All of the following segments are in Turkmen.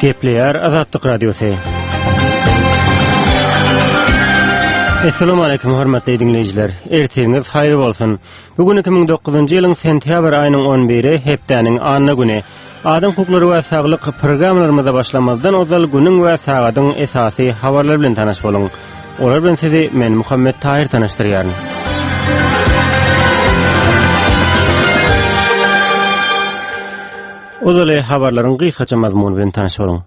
Gepleýär Azatlyk Radiosy. Assalamu alaykum hormatly diňleýjiler. Ertiriňiz haýyr bolsun. Bu gün 2009-njy ýylyň sentýabr aýynyň 11-i hepdäniň anna güni. Adam hukuklary we saglyk programmalarymyza başlamazdan ozal günüň we sagadyň esasy habarlary bilen tanyş boluň. Olar bilen sizi men Muhammet Taýyr tanyşdyrýaryn. Ozaly habarlaryň gysgaça mazmuny bilen tanyş boluň.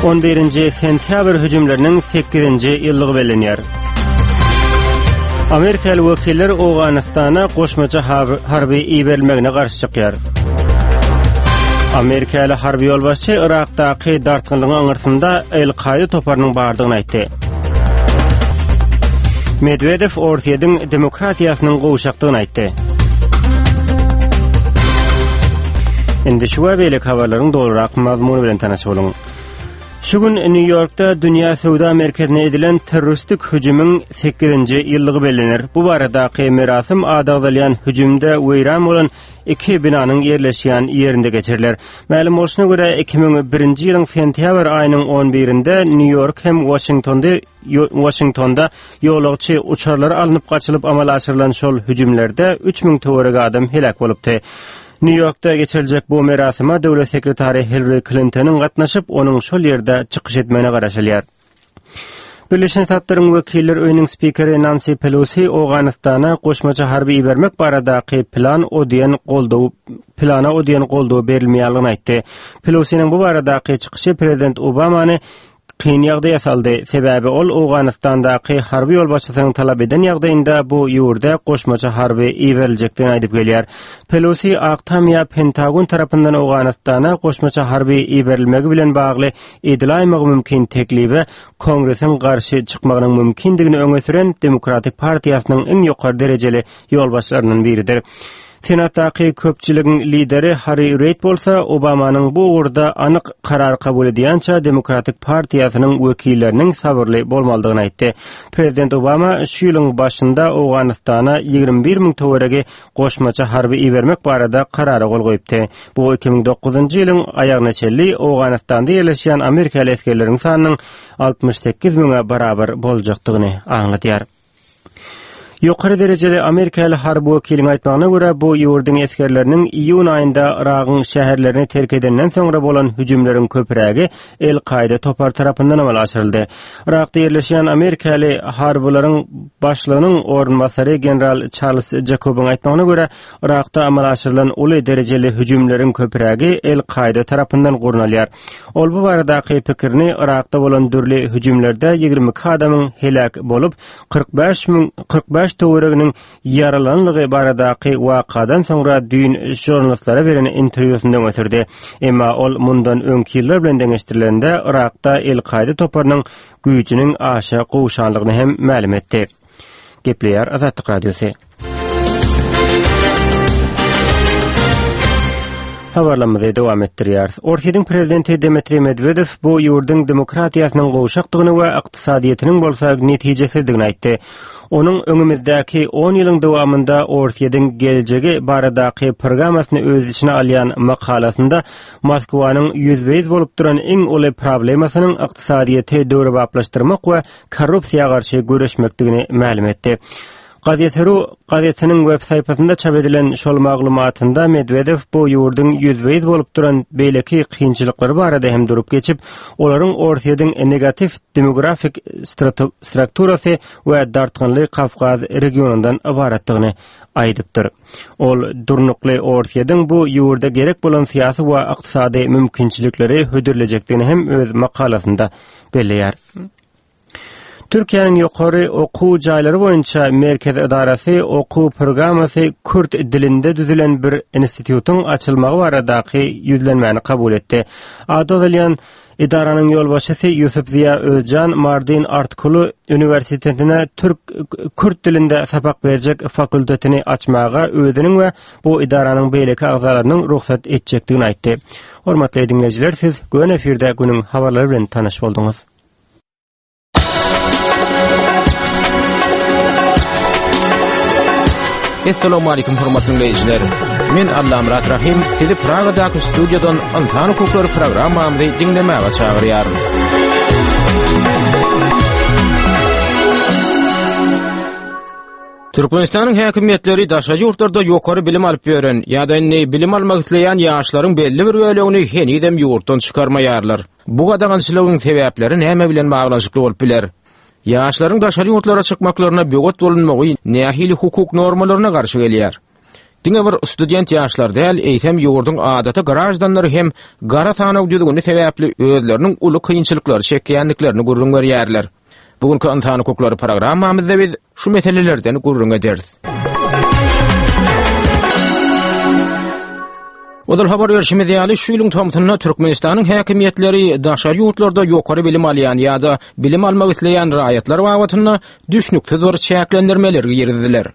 11-nji sentýabr hüjümleriniň 8-nji ýyllygy bellenýär. Amerikaly wekiller Owganystana goşmaça harby iberilmegine garşy çykýar. Amerikaly harby ýolbaşçy Yrakdaky dartgynlygyň aňyrsynda El-Kaýda toparynyň bardygyny aýtdy. Medwedew Orsýetiň demokratiýasynyň gowşakdygyny aýtdy. Indi şu we beýleki habarlaryň dolurak mazmuny bilen tanyş boluň. Şu gün Nýu-Ýorkda Dünýä söwda merkezine edilen terroristik hüjümiň 8-nji ýyllygy bellener. Bu baradaky merasym ady agzalýan hüjümde weýran bolan iki binanyň ýerleşýän ýerinde geçiriler. Mälim bolşuna görä, 2001-nji ýylyň sentýabr aýynyň 11-inde Nýu-Ýork hem Waşingtonda Waşingtonda ýolagçy uçarlary alnyp gaçylyp amala aşyrylan şol hüjümlerde 3000 töweregi adam heläk bolupdy. Nýu-Ýorkda geçiriljek bu merasyma döwlet sekretary Hillari Klintonyň gatnaşyp, onuň şol ýerde çykyş etmegine garaşylýar. Birleşen Ştatlaryň Wekiller öýüniň spikeri Nansi Pelosi Owganystana goşmaça harby ibermek baradaky plan o diýen goldaw plana o diýen goldaw berilmeýänligini aýtdy. Pelosiniň bu baradaky çykyşy prezident Obamany kyn ýagdaýa saldy, sebäbi ol Owganystandaky harby ýolbaşçysynyň talap eden ýagdaýynda bu ýurda goşmaça harby iberiljekdigini aýdyp gelýär. Pelosi Ak Tam ýa Pentagon tarapyndan Owganystana goşmaça harby iberilmegi bilen bagly edilaýmagy mümkin teklibe Kongresiň garşy çykmagynyň mümkindigini öňe süren Demokratik partiýasynyň iň ýokary derejeli ýolbaşçylaryndan biridir. Senatdaky köpçüligiň lideri Harri Reid bolsa Obamanyň bu ugurda anyk karar kabul edýänçä Demokratik partiýasynyň wekilleriniň sabyrly bolmalydygyny aýtdy. Prezident Obama şu ýylyň başynda Owganystana 21 müň töweregi goşmaça harby ibermek barada karara gol goýupdy. Bu 2009-njy ýylyň aýagyna çenli Owganystanda ýerleşýän amerikaly esgerleriň sanynyň 68 müňe barabar boljakdygyny aňladýar. Ýokary derejeli amerikaly harby wekiliň aýtmagyna görä, bu ýurduň esgerleriniň iýun aýynda Yragyň şäherlerini terk edenden soňra bolan hüjümleriň köprägi El-Kaýda topary tarapyndan amala aşyryldy. Yrakda ýerleşýän amerikaly harbylaryň başlygynyň orunbasary general Çarlz Jakobyň aýtmagyna görä, Yrakda amala aşyrylan uly derejeli hüjümleriň köprägi El-Kaýda tarapyndan gurnalýar. Ol bu baradaky pikirini Yrakda bolan dürli hüjümlerde 22 adamyň heläk bolup, 45 müň 45 töwereginiň ýaralanlygy baradaky wakadan soňra düýn žurnalistlere beren interwýusynda öňe sürdi. Emma ol mundan öňki ýyllar bilen deňeşdirilende Yrakda El-Kaýda toparynyň güýjüniň aşa gowşanlygyny hem mälim etdi. Gepleýär Azatlyk Radiosy. Habarlarymyzy dowam etdirýäris. Orsýetiň prezidenti Dmitriý Medwedew bu ýurduň demokratiýasynyň gowşakdygyny we ykdysadyýetiniň bolsa netijesizdigini aýtdy. Onuň öňümizdäki on ýylyň dowamynda Orsýetiň geljegi baradaky programmasyny öz içine alýan makalasynda Moskwanyň ýüzbe-ýüz bolup duran iň uly problemasynyň ykdysadyýeti döwrebaplaşdyrmak we korrupsiýa garşy göreşmekdigini mälim etdi. Gazete.ru gazetiniň web saýpasynda çap edilen şol maglumatynda Medwedew bu ýurduň ýüzbe-ýüz bolup duran beýleki kynçylyklary barada hem durup geçip, olaryň Orsýetiň negatiw demografik strukturasy we dartgynly Kawkaz regionyndan ybaratdygyny aýdypdyr. Ol durnukly Orsýetiň bu ýurda gerek bolan syýasy we ykdysady mümkinçilikleri hödürlejekdigini hem öz makalasynda belleýär. Türkiýäniň ýokary okuw jaýlary boýunça merkezi edarasy okuw programmasy kürt dilinde düzülen bir institutyň açylmagy baradaky ýüzlenmäni kabul etdi. Ady agzalýan edaranyň ýolbaşçysy Ýusup Ziýa Özjan Mardin Artkulu uniwersitetine türk kürt dilinde sapak berjek fakultetini açmaga özüniň we bu edaranyň beýleki agzalarynyň rugsat etjekdigini aýtdy. Hormatly diňleýjiler, siz göni efirde günüň habarlary bilen tanyş bolduňyz. Essalamu aleýkum hormatly diňleýjiler. Men Allamyrat Rahym sizi Pragadaky studiýadan Ynsan hukuklary programmamyzy diňlemäge çagyrýaryn. Türkmenistanyň häkimiýetleri daşary ýurtlarda ýokary bilim alyp ýören ýa-da indi bilim almak isleýän ýaşlaryň belli bir bölegini henizem ýurtdan çykarmaýarlar. Bu gadagançylygyň sebäpleri näme bilen baglanyşykly bolup biler? Ýaşlaryň daşary ýurtlara çykmaklaryna böwet bolunmagy nähili hukuk normalaryna garşy gelýär? Diňe bir student ýaşlar däl, eýsem ýurduň adaty graždanlary hem gara sanaw düzgüni sebäpli özleriniň uly kynçylyklary çekýändiklerini gürrüň berýärler. Bu günki Ynsan hukuklary programmamyzda biz şu meselelerden gürrüň ederis. Ozal habar berşimiz ýaly, şu ýylyň tomsunda Türkmenistanyň häkimiýetleri daşary ýurtlarda ýokary bilim alýan ýa-da bilim almak isleýän raýatlar babatynda düşnüksiz bir çäklendirmeleri girizdiler.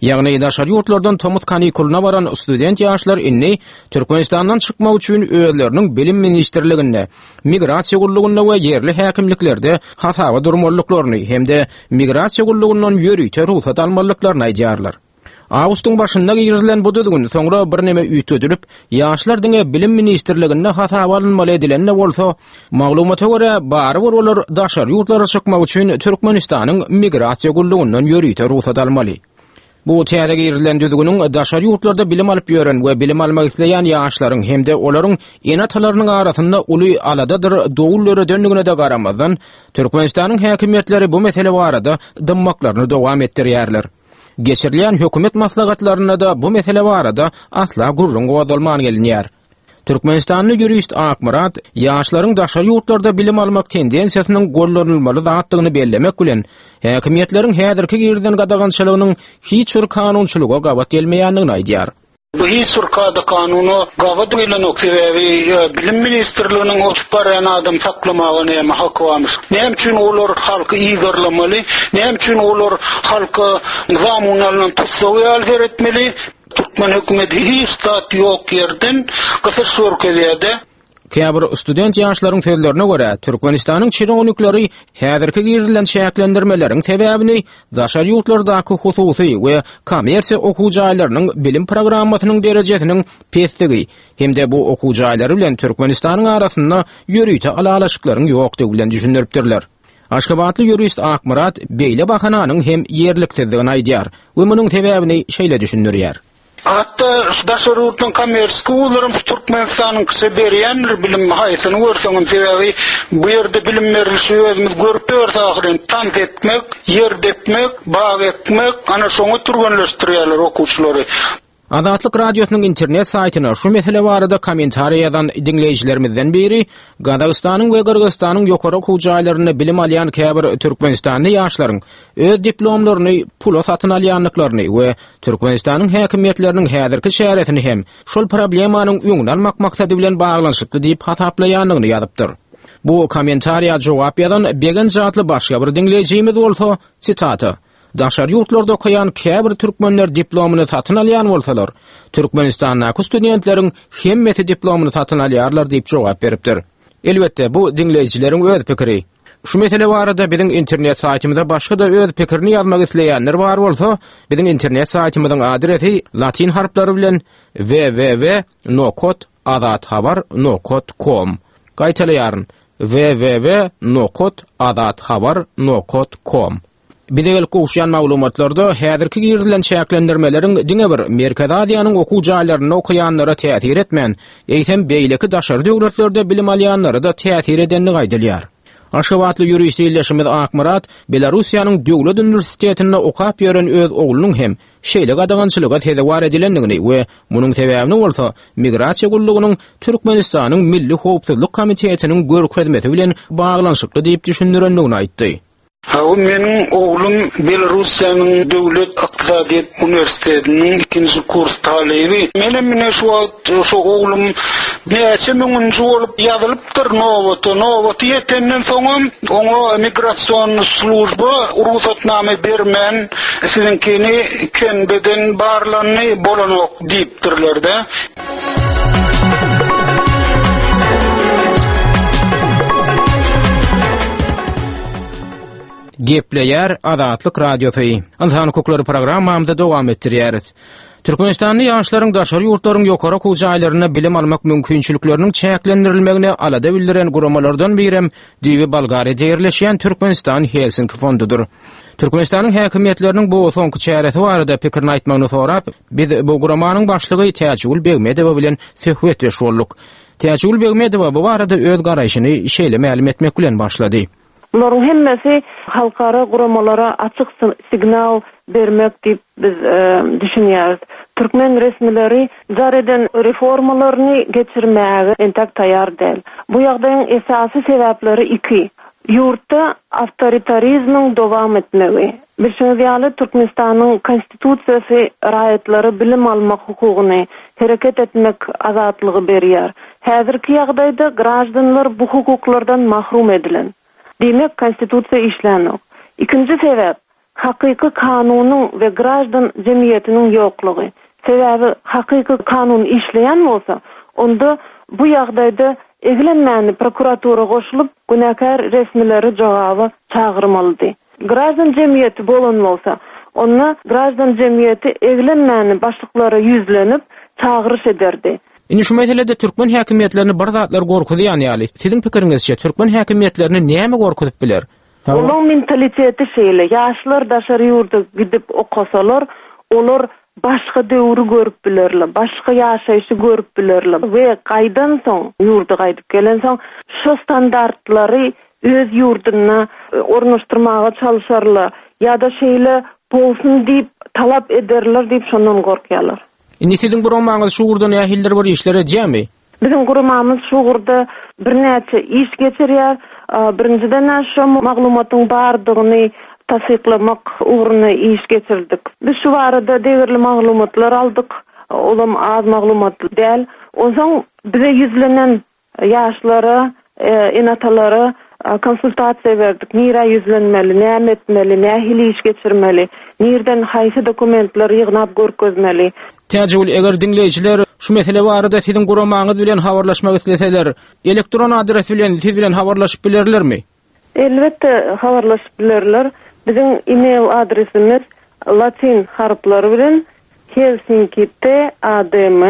Ýagny daşary ýurtlardan tomus kanikulyna baran student ýaşlar indi Türkmenistandan çykmak üçin özleriniň Bilim ministrliginde, Migrasiýa gullugynda we ýerli häkimliklerde hasaba durmalydyklaryny hem-de Migrasiýa gullugyndan ýörite rugsat almalydyklaryny aýdýarlar. Awgustyň başynda girizilen bu düzgün soňra birneme üýtgedilip, ýaşlar diňe Bilim ministrliginde hasaba alynmaly edilen-de bolsa, maglumata görä, barybir olar daşary ýurtlara çykmak üçin Türkmenistanyň Migrasiýa gullugyndan ýörite rugsat almaly. Bu täze girizilen düzgüniň daşary ýurtlarda bilim alyp ýören we bilim almak isleýän ýaşlaryň hem-de olaryň ene-atalarynyň arasynda uly aladadyr dowul döredendigine-de garamazdan, Türkmenistanyň häkimiýetleri bu mesele barada dymmaklaryny dowam etdirýärler. Geçirilýän hökümet maslahatlarynda-da bu mesele barada asla gürrüň gozgalman gelinýär. Türkmenistanly ýurist Akmyrat ýaşlaryň daşary ýurtlarda bilim almak tendensiýasynyň gollanylmaly zatdygyny bellemek bilen, häkimiýetleriň häzirki girizen gadagançylygynyň hiç bir kanunçylyga gabat gelmeýändigini aýdýar. Bu hiç bir kada-kanuna gabat gelenok, sebäbi Bilim ministrliginiň uçup barýan adamy saklamaga näme haky barmyş? Näme üçin olar halky yzarlamaly? Näme üçin olar halka zamun alnan tussag ýaly seretmeli? Türkmen hökümeti hiç zat ýok ýerden gysyş görkezýär-de. Käbir student ýaşlaryň sözlerine görä, Türkmenistanyň çinownikleri häzirki girizilen çäklendirmeleriň sebäbini daşary ýurtlardaky hususy we kommersiýa okuw jaýlarynyň bilim programmasynyň derejesiniň pesdigi hem-de bu okuw jaýlary bilen Türkmenistanyň arasynda ýörite ylalaşyklaryň ýokdugy bilen düşündiripdirler. Aşgabatly ýurist Akmyrat beýle bahananyň hem ýerliksizdigini aýdýar we munuň sebäbini şeýle düşündirýär. Hatda şu daşary ýurtlaryň kommerçeski wuzlaram şu Türkmenistanyňkyça berýändir bilim haýsyny görseňem sebäbi bu ýerde bilim berilişi özümiz görüp ýörüs ahyryn tans etmek, ýer depmek, bag ekmek ana şoňa türgenleşdirýärler okuwçylary. Azatlyk Radiosynyň internet saýtyna şu mesele barada kommentariýa ýazan diňleýjilerimizden biri Gazagystanyň we Gyrgyzystanyň ýokary okuw jaýlarynda bilim alýan käbir türkmenistanly ýaşlaryň öz diplomlaryny pula satyn alýandyklaryny we Türkmenistanyň häkimiýetleriniň häzirki çäresini hem şol problemanyň öňüni almak maksady bilen baglanyşykly diýip hasaplaýandygyny ýazypdyr. Bu kommentariýa jogap ýazan Begenç atly başga bir diňleýjimiz bolsa, sitata, Daşary ýurtlarda okaýan käbir türkmenler diplomyny satyn alýan bolsalar, Türkmenistandaky studentleriň hemmesi diplomyny satyn alýarlar diýip jogap beripdir. Elbetde, bu diňleýjileriň öz pikiri. Şu mesele barada biziň internet saýtymyza başga-da öz pikirini ýazmak isleýänler bar bolsa, biziň internet saýtymyzyň adresi latyn harplary bilen www nokat azathabar nokat kom. Gaýtalaýaryn, www nokat azathabar nokat kom. Bize gelip gowuşýan maglumatlarda häzirki girizilen çäklendirmeleriň diňe bir Merkezi Aziýanyň okuw jaýlarynda okaýanlara täsir etmän, eýsem beýleki daşary döwletlerde bilim alýanlara-da täsir edendigi aýdylýar. Aşgabatly ýurist ildeşimiz Akmyrat Belarussiýanyň Döwlet uniwersitetinde okap ýören öz oglunyň hem şeýle gadagançylyga sezewar edilendigini we munuň sebäbini bolsa Migrasiýa gullugynyň Türkmenistanyň Milli howpsuzlyk komitetiniň görkezmesi bilen baglanyşykly diýip düşündirendigini aýtdy. Hawa, meniň oglum Belarussiýanyň Döwlet ykdysadyýet uniwersitetiniň ikinji kurs talyby. Menem ine şu wagt şu oglum näçe müňünji bolup ýazylypdyr nobata. Nobaty ýetenden soňam oňa migrasion služba rugsatnama bermän, siziňkini KNB-den barlandy, bolanok diýipdirler-de. Gepleýär Azatlyk Radiosy. Ynsan hukuklary programmamyzy dowam etdirýäris. Türkmenistanly ýaşlaryň daşary ýurtlaryň ýokary okuw jaýlarynda bilim almak mümkinçilikleriniň çäklendirilmegine alada bildiren guramalardan birem düýbi Bolgariýada ýerleşýän Türkmenistan Helsinki fondudyr. Türkmenistanyň häkimiýetleriniň bu soňky çäresi barada pikirini aýtmagyny sorap, biz bu guramanyň başlygy Täjigül Begmedowa bilen söhbetdeş bolduk. Täjigül Begmedowa bu barada öz garaýşyny şeýle mälim etmek bilen başlady. Bularyň hemmesi halkara guramalara açyk signal bermek diýip biz düşünýäris. Türkmen resmileri jar eden reformalaryny geçirmäge entek taýýar däl. Bu ýagdaýyň esasy sebäpleri iki. Ýurtda awtoritarizmiň dowam etmegi. Bilşiňiz ýaly, Türkmenistanyň Konstitusiýasy raýatlara bilim almak hukugyny, hereket etmek azatlygy berýär. Häzirki ýagdaýda graždanlar bu hukuklardan mahrum edilen. Diýmek, Konstitusiýa işlänok. Ikinji sebäp, hakyky kanunyň we graždan jemgyýetiniň ýoklugy. Sebäbi hakyky kanun işleýän bolsa, onda bu ýagdaýda eglenmäni prokuratura goşulyp, günäkär resmileri jogaba çagyrmalydy. Graždan jemgyýeti bolan bolsa, onda graždan jemgyýeti eglenmäni başlyklara ýüzlenip, çagyryş ederdi. Indi şu meselede türkmen häkimiýetlerini bir zatlar gorkuzýan ýaly. Siziň pikiriňizçe, türkmen häkimiýetlerini näme gorkuzyp biler? Olaň mentaliteti şeýle, ýaşlar daşary ýurda gidip okasalar, olar başga döwri görüp bilerler, başga ýaşaýşy görüp bilerler we gaýdansoň, ýurda gaýdyp gelensoň, şo standartlary öz ýurdunda ornaşdyrmaga çalşarlar ýa-da şeýle bolsun diýip talap ederler diýip şondan gorkýarlar. Indi siziň guramaňyz şu ugurda nähilidir bir işler edýärmi? Biziň guramamyz şu ugurda birnäçe iş geçirýär. Birinjiden-ä şo maglumatyň bardygyny tassyklamak ugrunda iş geçirdik. Biz şu barada degerli maglumatlar aldyk. Olam az maglumat däl. Onsoň bize ýüzlenen Ýaşlara, ene-atalara konsultasiýa berdik. Nirä ýüzlenmeli, näme etmeli, nähili iş geçirmeli, nirden haýsy dokumentleri ýygnap görkezmeli. Täjigül, eger diňleýjiler şu mesele barada siziň guramaňyz bilen habarlaşmak isleseler, elektron adres bilen siz bilen habarlaşyp bilerlermi? Elbetde, habarlaşyp bilerler. Biziň e-mail adresimiz latyn harplary bilen helsinki TADM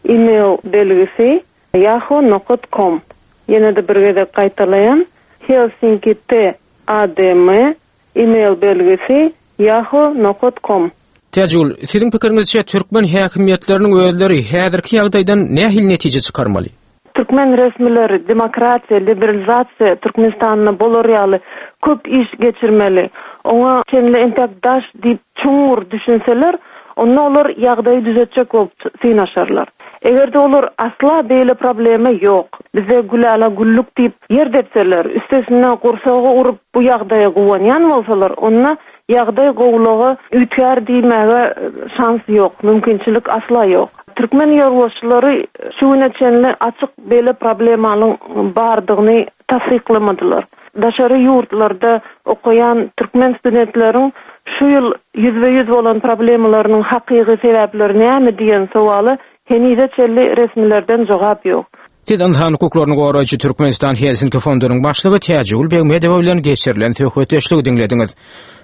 e-mail belgisi Yahoo nokat kom. Ýene-de bir gezek gaýtalaýan, Helsinki T A D M e-mail belgisi yahoo nokat kom. Täjigül, siziň pikiriňizçe türkmen häkimiýetleriniň özleri häzirki ýagdaýdan nähili netije çykarmaly? Türkmen resmileri demokratiýa, liberalizasiýa Türkmenistanda bolar ýaly köp iş geçirmeli. Oňa çenli entek daş diýip çuňňur düşünseler, onda olar ýagdaýy düzetjek bolup synaşarlar. Eger-de olar asla beýle problema ýok, bizde gülala-güllük diýip ýer depseler, üstesine gursaga urup bu ýagdaýa guwanýan bolsalar, onda ýagdaý gowulyga üýtgär diýmäge şans ýok, mümkinçilik asla ýok. Türkmen ýolbaşçylary şu güne çenli açyk beýle problemanyň bardygyny tassyklamadylar. Daşary ýurtlarda okaýan türkmen studentleriň şu ýyl ýüzbe-ýüz bolan problemalarynyň hakyky sebäpleri näme diýen sowala henize çenli resmilerden jogap ýok. Siz ynsan hukuklaryny goraýjy Türkmenistan Helsinki fondunyň başlygy Täjigül Begmedowa bilen geçirilen söhbetdeşligi diňlediňiz.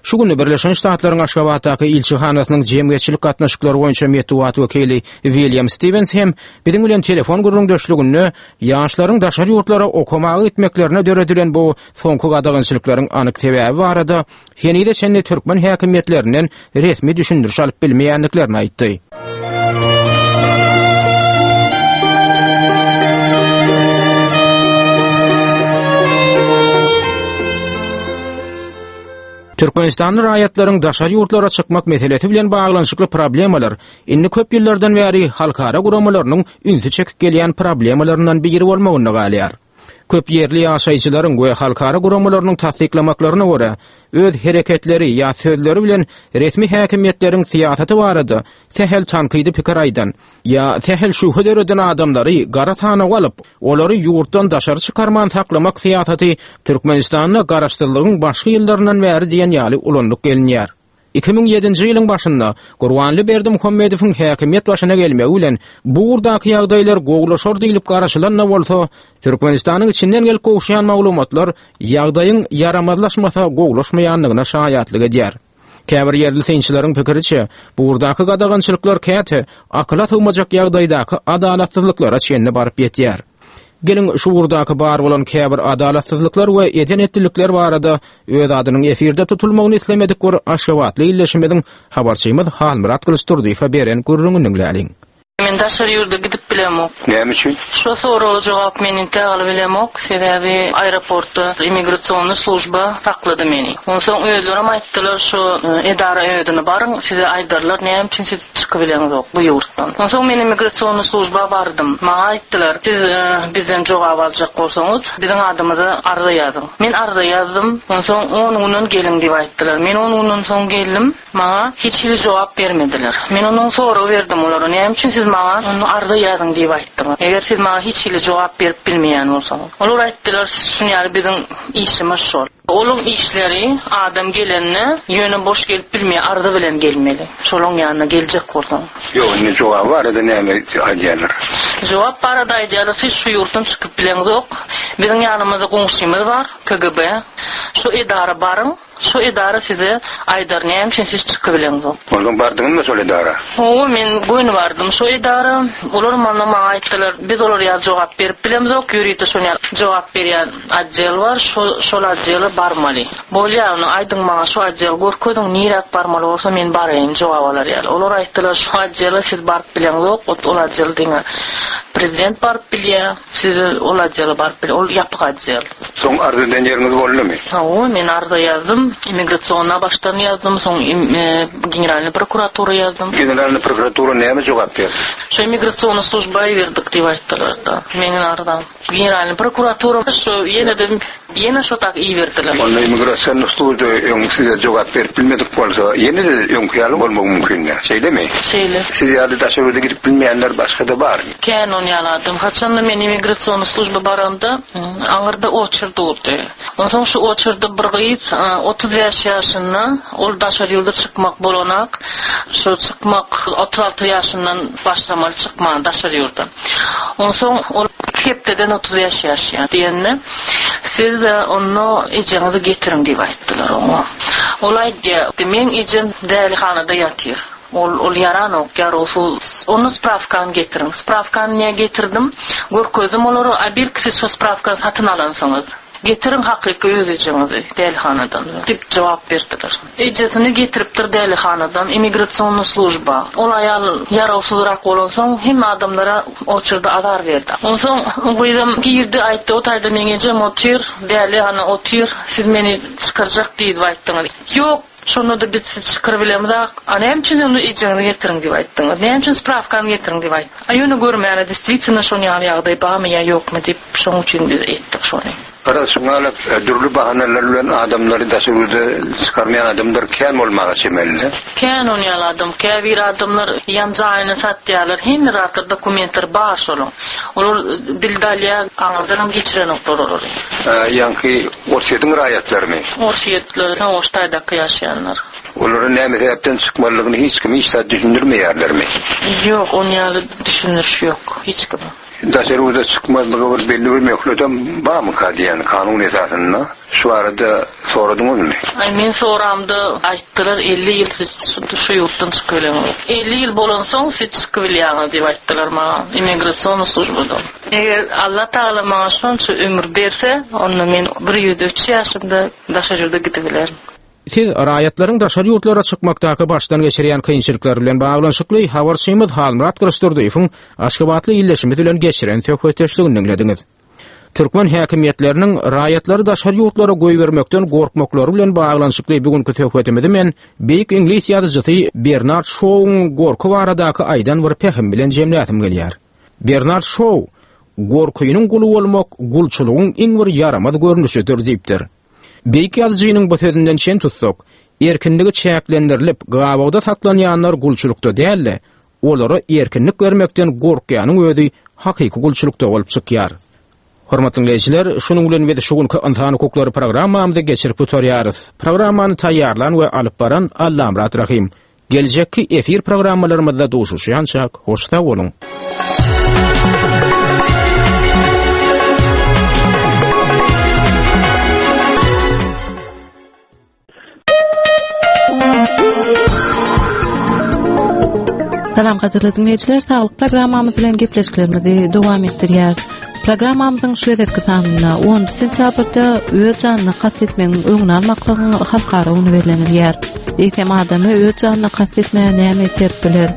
Şu gün Birleşen Ştatlaryň Aşgabatdaky ilçihanasynyň jemgyýetçilik gatnaşyklary boýunça metbugat wekili William Stiwens hem biziň bilen telefon gürrüňdeşliginde ýaşlaryň daşary ýurtlara okamaga gitmeklerine döredilen bu soňky gadagançylyklaryň anyk sebäbi barada henize çenli türkmen häkimiýetlerinden resmi düşündiriş alyp bilmeýändiklerini aýtdy. Türkmenistanly raýatlaryň daşary ýurtlara çykmak meselesi bilen baglanyşykly problemalar indi köp ýyllardan bäri halkara guramalarynyň ünsi çekip gelýän problemalaryndan biri bolmagynda galýar. Köp ýerli ýaşaýjylaryň we halkara guramalarynyň tassyklamaklaryna görä, öz hereketleri ýa sözleri bilen resmi häkimiýetleriň syýasaty barada sähel tankydy pikir aýdan ýa sähel şübhe döreden adamlary gara sanawa alyp, olary ýurtdan daşary çykarman saklamak syýasaty Türkmenistanda garaşsyzlygyň başky ýyllaryndan bäri diýen ýaly ulanylyp gelinýär. 2007-nji ýylyň başynda Gurbanly Berdimuhamedowyň häkimiýet başyna gelmegi bilen bu ugurdaky ýagdaýlar gowulaşar diýlip garaşylan-da bolsa, Türkmenistanyň içinden gelip gowuşýan maglumatlar ýagdaýyň ýaramazlaşmasa gowulaşmaýandygyna şaýatlyk edýär. Käbir ýerli synçylaryň pikiriçe, bu ugurdaky gadagançylyklar käte akyla sygmajak ýagdaýdaky adalatsyzlyklara çenli baryp ýetýär. Geliň, şu ugurdaky bar bolan käbir adalatsyzlyklar we eden-etdilikler barada öz adynyň efirde tutulmagyny islemedik bir aşgabatly ildeşimiziň habarçymyz Halmyrat Gylyçdurdyýewe beren gürrüňini diňläliň. Men daşary ýurda gidip bilemok. Näme üçin? Şo soraga jogap men entäk alybilemok, sebäbi aeroportda immigrasionnyý služba saklady meni. Onsoň özlerem aýtdylar şo edara özüne baryň, size aýdarlar näme üçin siz çykybileňzok bu ýurtdan. Onsoň men immigrasionnyý služba bardym. Maňa aýtdylar, siz bizden jogap aljak bolsaňyz, biziň adymyza arza ýazyň. Men arza ýazdym. Onsoň on günden geliň diýip aýtdylar. Men on günden soň geldim. Maňa hiç hili jogap bermediler. Men ondan sorag berdim olara, näme üçin siz maňa onda arza ýazyň diýip aýtdyňyz, eger siz maňa hiç hili jogap berip bilmeýän bolsaňyz. Olar aýtdylar, şuny ýaly biziň işimiz şol. Olaň işleri adam gelende ýöne boş gelip bilmeýär, arza bilen gelmeli. Şolaň ýanyna geljek bolsaň. Ýok, indi jogaby barada näme aýdýarlar? Jogap barada aýdýarlar, siz şu ýurtdan çykyp bileňzok. Biziň ýanymyzda goňşymyz bar, KGB. Şu edara baryň. Şo edara size aýdar näme üçin siz çykybileňzok. Onsoň bardyňyzmy şol edara? Hawa men göni bardym şo edara. Olar maňa maňa aýtdylar biz olar ýaly jogap berip bilemzok ýörite şon ýaly jogap berýän otdel bar şo şol otdele barmaly. Bolýa onda aýdyň maňa şo otdel görkeziň niräk barmaly bolsa men baraýyn jogap alar ýaly. Olar aýtdylar şo otdele siz baryp bileňzok ot ol otdel diňe prezident baryp bilýä. Siz ol otdele baryp bil ol ýapyk otdel. Soň arz eden ýeriňiz boldumy? Hawa, men arza ýazdym. Immigrasionna başdan ýazdym, soň Generalnyý prokuratura ýazdym. Generalnyý prokuratura näme jogap berdi? Şo immigrasionna služba iberdik diýip aýtdylar-da, meniň arzam. Generalnyý prokuratura şo ýene-de ýene şo tak iberdiler. Onda immigrasionna služba öň size jogap berip bilmedik bolsa, ýene-de öňki ýaly bolmagy mümkin-dä, şeýlemi? Şeýle. Siz ýaly daşary ýurda gidip bilmeýänler başga-da barmy? Kän on ýaly adam. Haçanda men immigrasionna služba baramda, aňyrda oçer durdy. Onsoň şu oçerde bir gyz, 35 ýaşynda, ol daşary ýurda çykmak bolanak, şo çykmak 36 ýaşyndan başlamaly çykman daşary ýurda. Onsoň ol iki hepdeden 35 ýaşýar diýende, siz onda ejeňizi getiriň diýip aýtdylar oňa. Ol aýdýar, meň ejem dälihanada ýatyr. Ol ol ýaranok ýarawsyz. Onda sprawkany getiriň. Sprawkany nä getirdim. Görkezdim olara, a belki siz şo sprawkany satyn alansyňyz. Getiriň hakyky öz ejeňizi dälihanadan. Diýip jogap berdiler. Ejesini getiripdir dälihanadan immigrasionnyý služba. Ol aýal ýarawsyzrak bolansoň hemme adamlara oçurda azar berdi. Onsoň o gyzam girdi aýtdy o taýda meň ejem otyr, dälihana otyr, siz meni çykarjak diýdip aýtdyňyz. Ýok, Şonda-da biz sizi çykyrybilemzak. A näme üçin onda ejeňizi getiriň diýip aýtdyňyz? Näme üçin sprawkany getiriň diýip aýtdyňyz? A ýöne görmäne distwitno şon ýaly ýagdaý barmy ýa ýokmy diýip şoň üçin biz etdik şony. Garaz şuňalak dürli bahanalar bilen adamlary daşary ýurda çykarmaýan adamlar kän bolmaga çemeli. Kän on ýaly adam. Käbir adamlar ýam jaýyny satýarlar. Hemme zatlar dokumentleri bar şolaň. Olar dilde alýar aňyrdanam geçirenoklar olary. Ýaňky Orsýetiň raýatlarymy? Orsýetler, hawa, şu taýdaky ýaşaýanlar. Olara näme sebäpden çykmalydygyny hiç kim hiç zat düşündirmeýärlermi? Ýok, on ýaly düşündiriş ýok hiç kime. Daşary ýurda çykmazlyga bir belli bir möhletem barmyka diýýän kanun esasynda şu barada soradyňyzmy? Aý men soramda aýtdylar 50 ýyl siz şu ýurtdan çykybileňiz. 50 ýyl bolansoň siz çykybilýäňiz diýip aýtdylar maňa immigrasionnyý službadan. Eger Allatagala maňa şonça ömür berse, onda men bir 103 ýaşymda daşary ýurda gidibilerin. Siz raýatlaryň daşary ýurtlara çykmakdaky başdan geçirýän kynçylyklary bilen baglanyşykly habarçymyz Halmyrat Gylyçdurdyýewiň aşgabatly ildeşimiz bilen geçiren söhbetdeşligini diňlediňiz. Türkmen häkimiýetleriniň raýatlary daşary ýurtlara goýbermekden gorkmaklary bilen baglanyşykly bu günki söhbetimizi men beýik iňlis ýazyjysy Bernard Şouň gorky baradaky aýdan bir pähimi bilen jemläsim gelýär. Bernard Şou, Gorkynyň guly bolmak gulçulygyň iň bir ýaramaz görnüşidir diýipdir. Beýik ýazyjynyň bu sözünden çen tutsak, erkinligi çäklendirilip, gabawda saklanýanlar gulçulykda däl-de, olara erkinlik bermekden gorkýanyň özi hakyky gulçulykda bolup çykýar. Hormatly diňleýjiler, şunuň bilen biz şu günki Ynsan hukuklary programmamyzy geçirip gutarýarys. Programmany taýýarlan we alyp baran Allamyrat Rahym. Geljekki efir programmalarymyzda duşuşýançak, hoş sag boluň! Salam gadyrly diňleýjiler, saglyk programmamyz bilen gepleşiklerimizi dowam etdirýäris. Programmamyzyň şu gezekki sanynda 10 sentýabrda öz janyna kast etmegiň öňüni almaklygyň halkara güni bellenilýär. Eýsem adamy öz janyna kast etmäge näme iterip biler?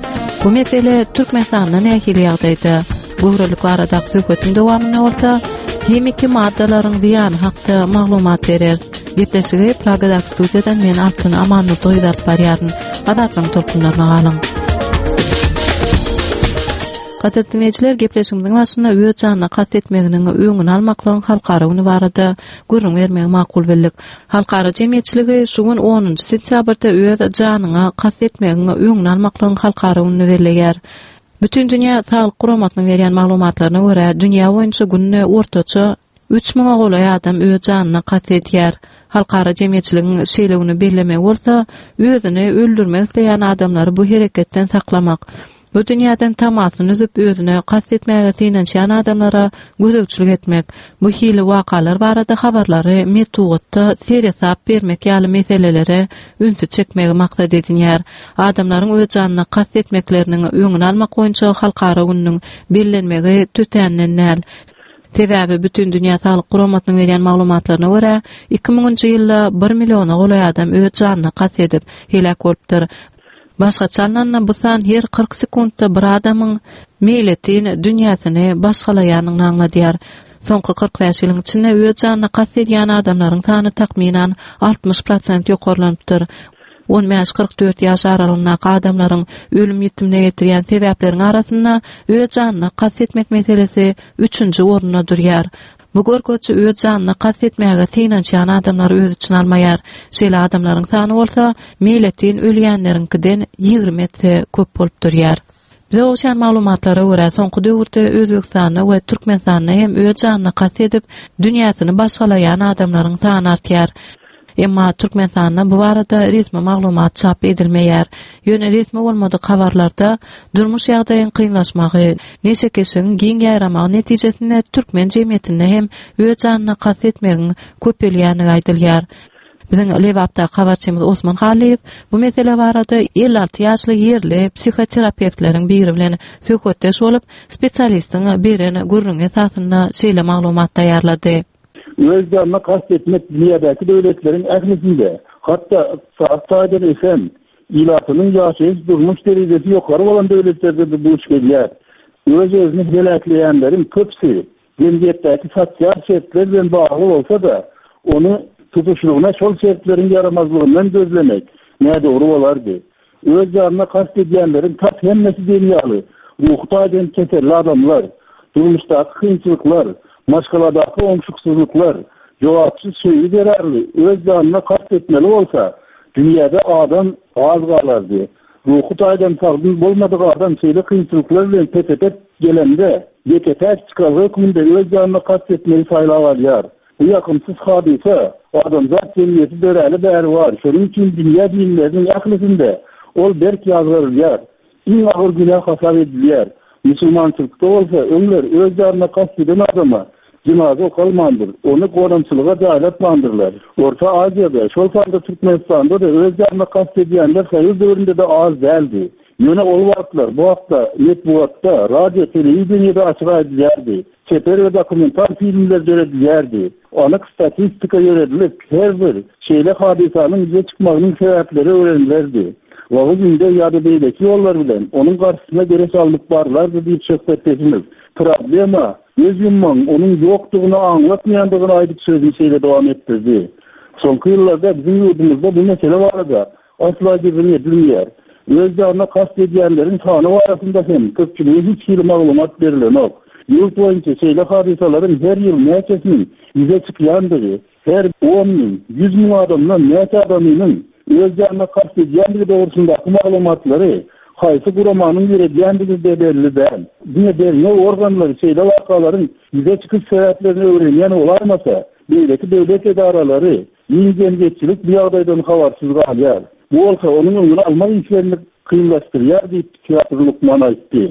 Bu mesele Türkmenistanda nähili ýagdaýda? Göwrelilik baradaky söhbetiň dowamynda bolsa himiki maddalaryň zyýany hakda maglumat bereris. Gepleşigi Pragadaky studiýadan men Altyn Amannurdy gyz alyp barýaryn. Azatlygyň tolkunlaryna galyň. Gadyrly diňleýjiler, gepleşigimiziň başynda öz janyna kast etmeginiň öňüni almaklygyň halkara güni barada gürrüň bermegi makul bildik. Halkara jemgyýetçiligi şu gün onunjy sentýabrda öz janyňa kast etmegiň öňüni almaklygyň halkara gününi belleýär. Bütindünýä Saglyk Guramasynyň berýän maglumatlaryna görä, dünýä boýunça günde ortaça üç müňe golaý adam öz janyna kast edýär. Halkara jemgyýetçiligiň şeýle güni bellemegi bolsa, özüni öldürmek isleýän adamlary bu hereketden saklamak, bu dünýäden tamasyny üzüp özüne kast etmäge synanyşýan adamlara gözegçilik etmek, bu hili wakalar barada habarlary metbugatda seresap bermek ýaly meselelere ünsi çekmegi maksat edinýär. Adamlaryň öz janyna kast etmekleriniň öňüni almak boýunça halkara gününiň bellenmegi tötänden däl. Sebäbi Bütindünýä Saglyk Guramasynyň berýän maglumatlaryna görä, 2000-njy ýylda bir milliona golaý adam öz janyna kast edip, heläk bolupdyr. Başgaça alnanda, bu san her 40 sekuntda bir adamyň meýletin dünýäsini başgalaýanyny aňladýar. Soňky 45 ýylyň içinde öz janyna kast edýän adamlaryň sany takmynan 60 prosent ýokarlanypdyr. On bäş- 44 ýaş aralygyndaky adamlaryň ölüm-ýitimine getirýän sebäpleriň arasynda öz janyna kast etmek meselesi üçünji orunda durýar. Bu görkeziji öz janyna kast etmäge synanyşýan adamlary öz içine almaýar. Şeýle adamlaryň sany bolsa meýletin ölýänleriňkiden 20 esse köp bolup durýar. Bize gowşan maglumatlara görä, soňky döwürde Özbegistanda we Türkmenistanda hem öz janyna kast edip, dünýäsini başgalaýan adamlaryň sany artýar. Emma Türkmenistanda bu barada resmi maglumat çap edilmeýär. Ýöne resmi bolmadyk habarlarda durmuş ýagdaýyň kynlaşmagy, neşekeşligiň giň ýaýramagy netijesinde türkmen jemgyýetinde hem öz janyna kast etmegiň köpelýändigi aýdylýar. Biziň Lebapdaky habarçymyz Osman Hallyýew bu mesele barada 56 ýaşly ýerli psihoterapewtleriň biri bilen söhbetdeş bolup, spesialistiň beren gürrüňi esasynda şeýle maglumat taýýarlady. Öz janyna kast etmek dünýädäki döwletleriň ählisinde, hatda ykdysady taýdan ösen, ilatynyň ýaşaýyş-durmuş derejesi ýokary bolan döwletlerde-de duş gelýär. Öz-özüni heläkleýänleriň köpüsi jemgyýetdäki sosial şertler bilen bagly bolsa-da, ony tutuşlygyna şol şertleriň ýaramazlygyndan gözlemek nädogry bolardy. Öz janyna kast edýänleriň tas hemmesi diýen ýaly ruhy taýdan keselli adamlar. Durmuşdaky kynçylyklar, maşgaladaky oňşuksyzlyklar, jogapsyz söýgi zerarly öz janyna kast etmeli bolsa, dünýäde adam az galardy. Ruhy taýdan sagdyn bolmadyk adam şeýle kynçylyklar bilen pete-pet gelende, ýeke-täk çykalga hökmünde öz janyna kast etmegi saýlap alýar. Bu ýakymsyz hadysa adamzat jemgyýeti döräli bäri bar, şonuň üçin dünýä dinleriniň ählisinde ol berk ýazgarylýar, iň agyr günä hasap edilýär. Musulmançylykda bolsa öňler öz janyna kast eden adama jynaza okalmandyr, ony gonamçylyga jaýlatmandyrlar. Orta Aziýada, şol sanda Türkmenistanda-da öz janyna kast edýänler soýuz döwründe-de az däldi. Ýöne ol wagtlar bu hakda metbugatda, radio, telewideniýede açyk aýdylýardy. Çeper we dokumental filmler döredilýärdi. Anyk statistika ýöredilip, her bir şeýle hadysanyň ýüze çykmagynyň sebäpleri öwrenilerdi. Wagyz-ündew ýa-da beýleki ýollar bilen onuň garşysyna göreş alnyp barlardy diýip söhbetdeşimiz problema göz ýummagyň onuň ýokdugyny aňlatmaýandygyny aýdyp sözüni şeýle dowam etdirdi, Soňky ýyllarda biziň ýurdumyzda bu mesele barada Asla gürrüň edilmeýär. Öz janyna kast edýänleriň sany barasynda hem köpçülige hiç hili maglumat berilenok. Ýurt boýunça şeýle hadysalaryň her ýyl näçesiniň ýüze çykýandygy, her on müň, 100 müň adamdan näçe adamynyň öz janyna kast edýändigi dogrusyndaky maglumatlary. Haýsy guramanyň ýöredýändigi-de belli däl. Diňe derňew organlary şeýle wakalaryň ýüze çykyş sebäplerini öwrenýän bolaýmasa, beýleki döwlet edaralary, giň jemgyýetçilik bu ýagdaýdan habarsyz galýar. Bu bolsa onuň öňüni almak işlerini kynlaşdyrýar diýip, psihiatr lukman aýtdy.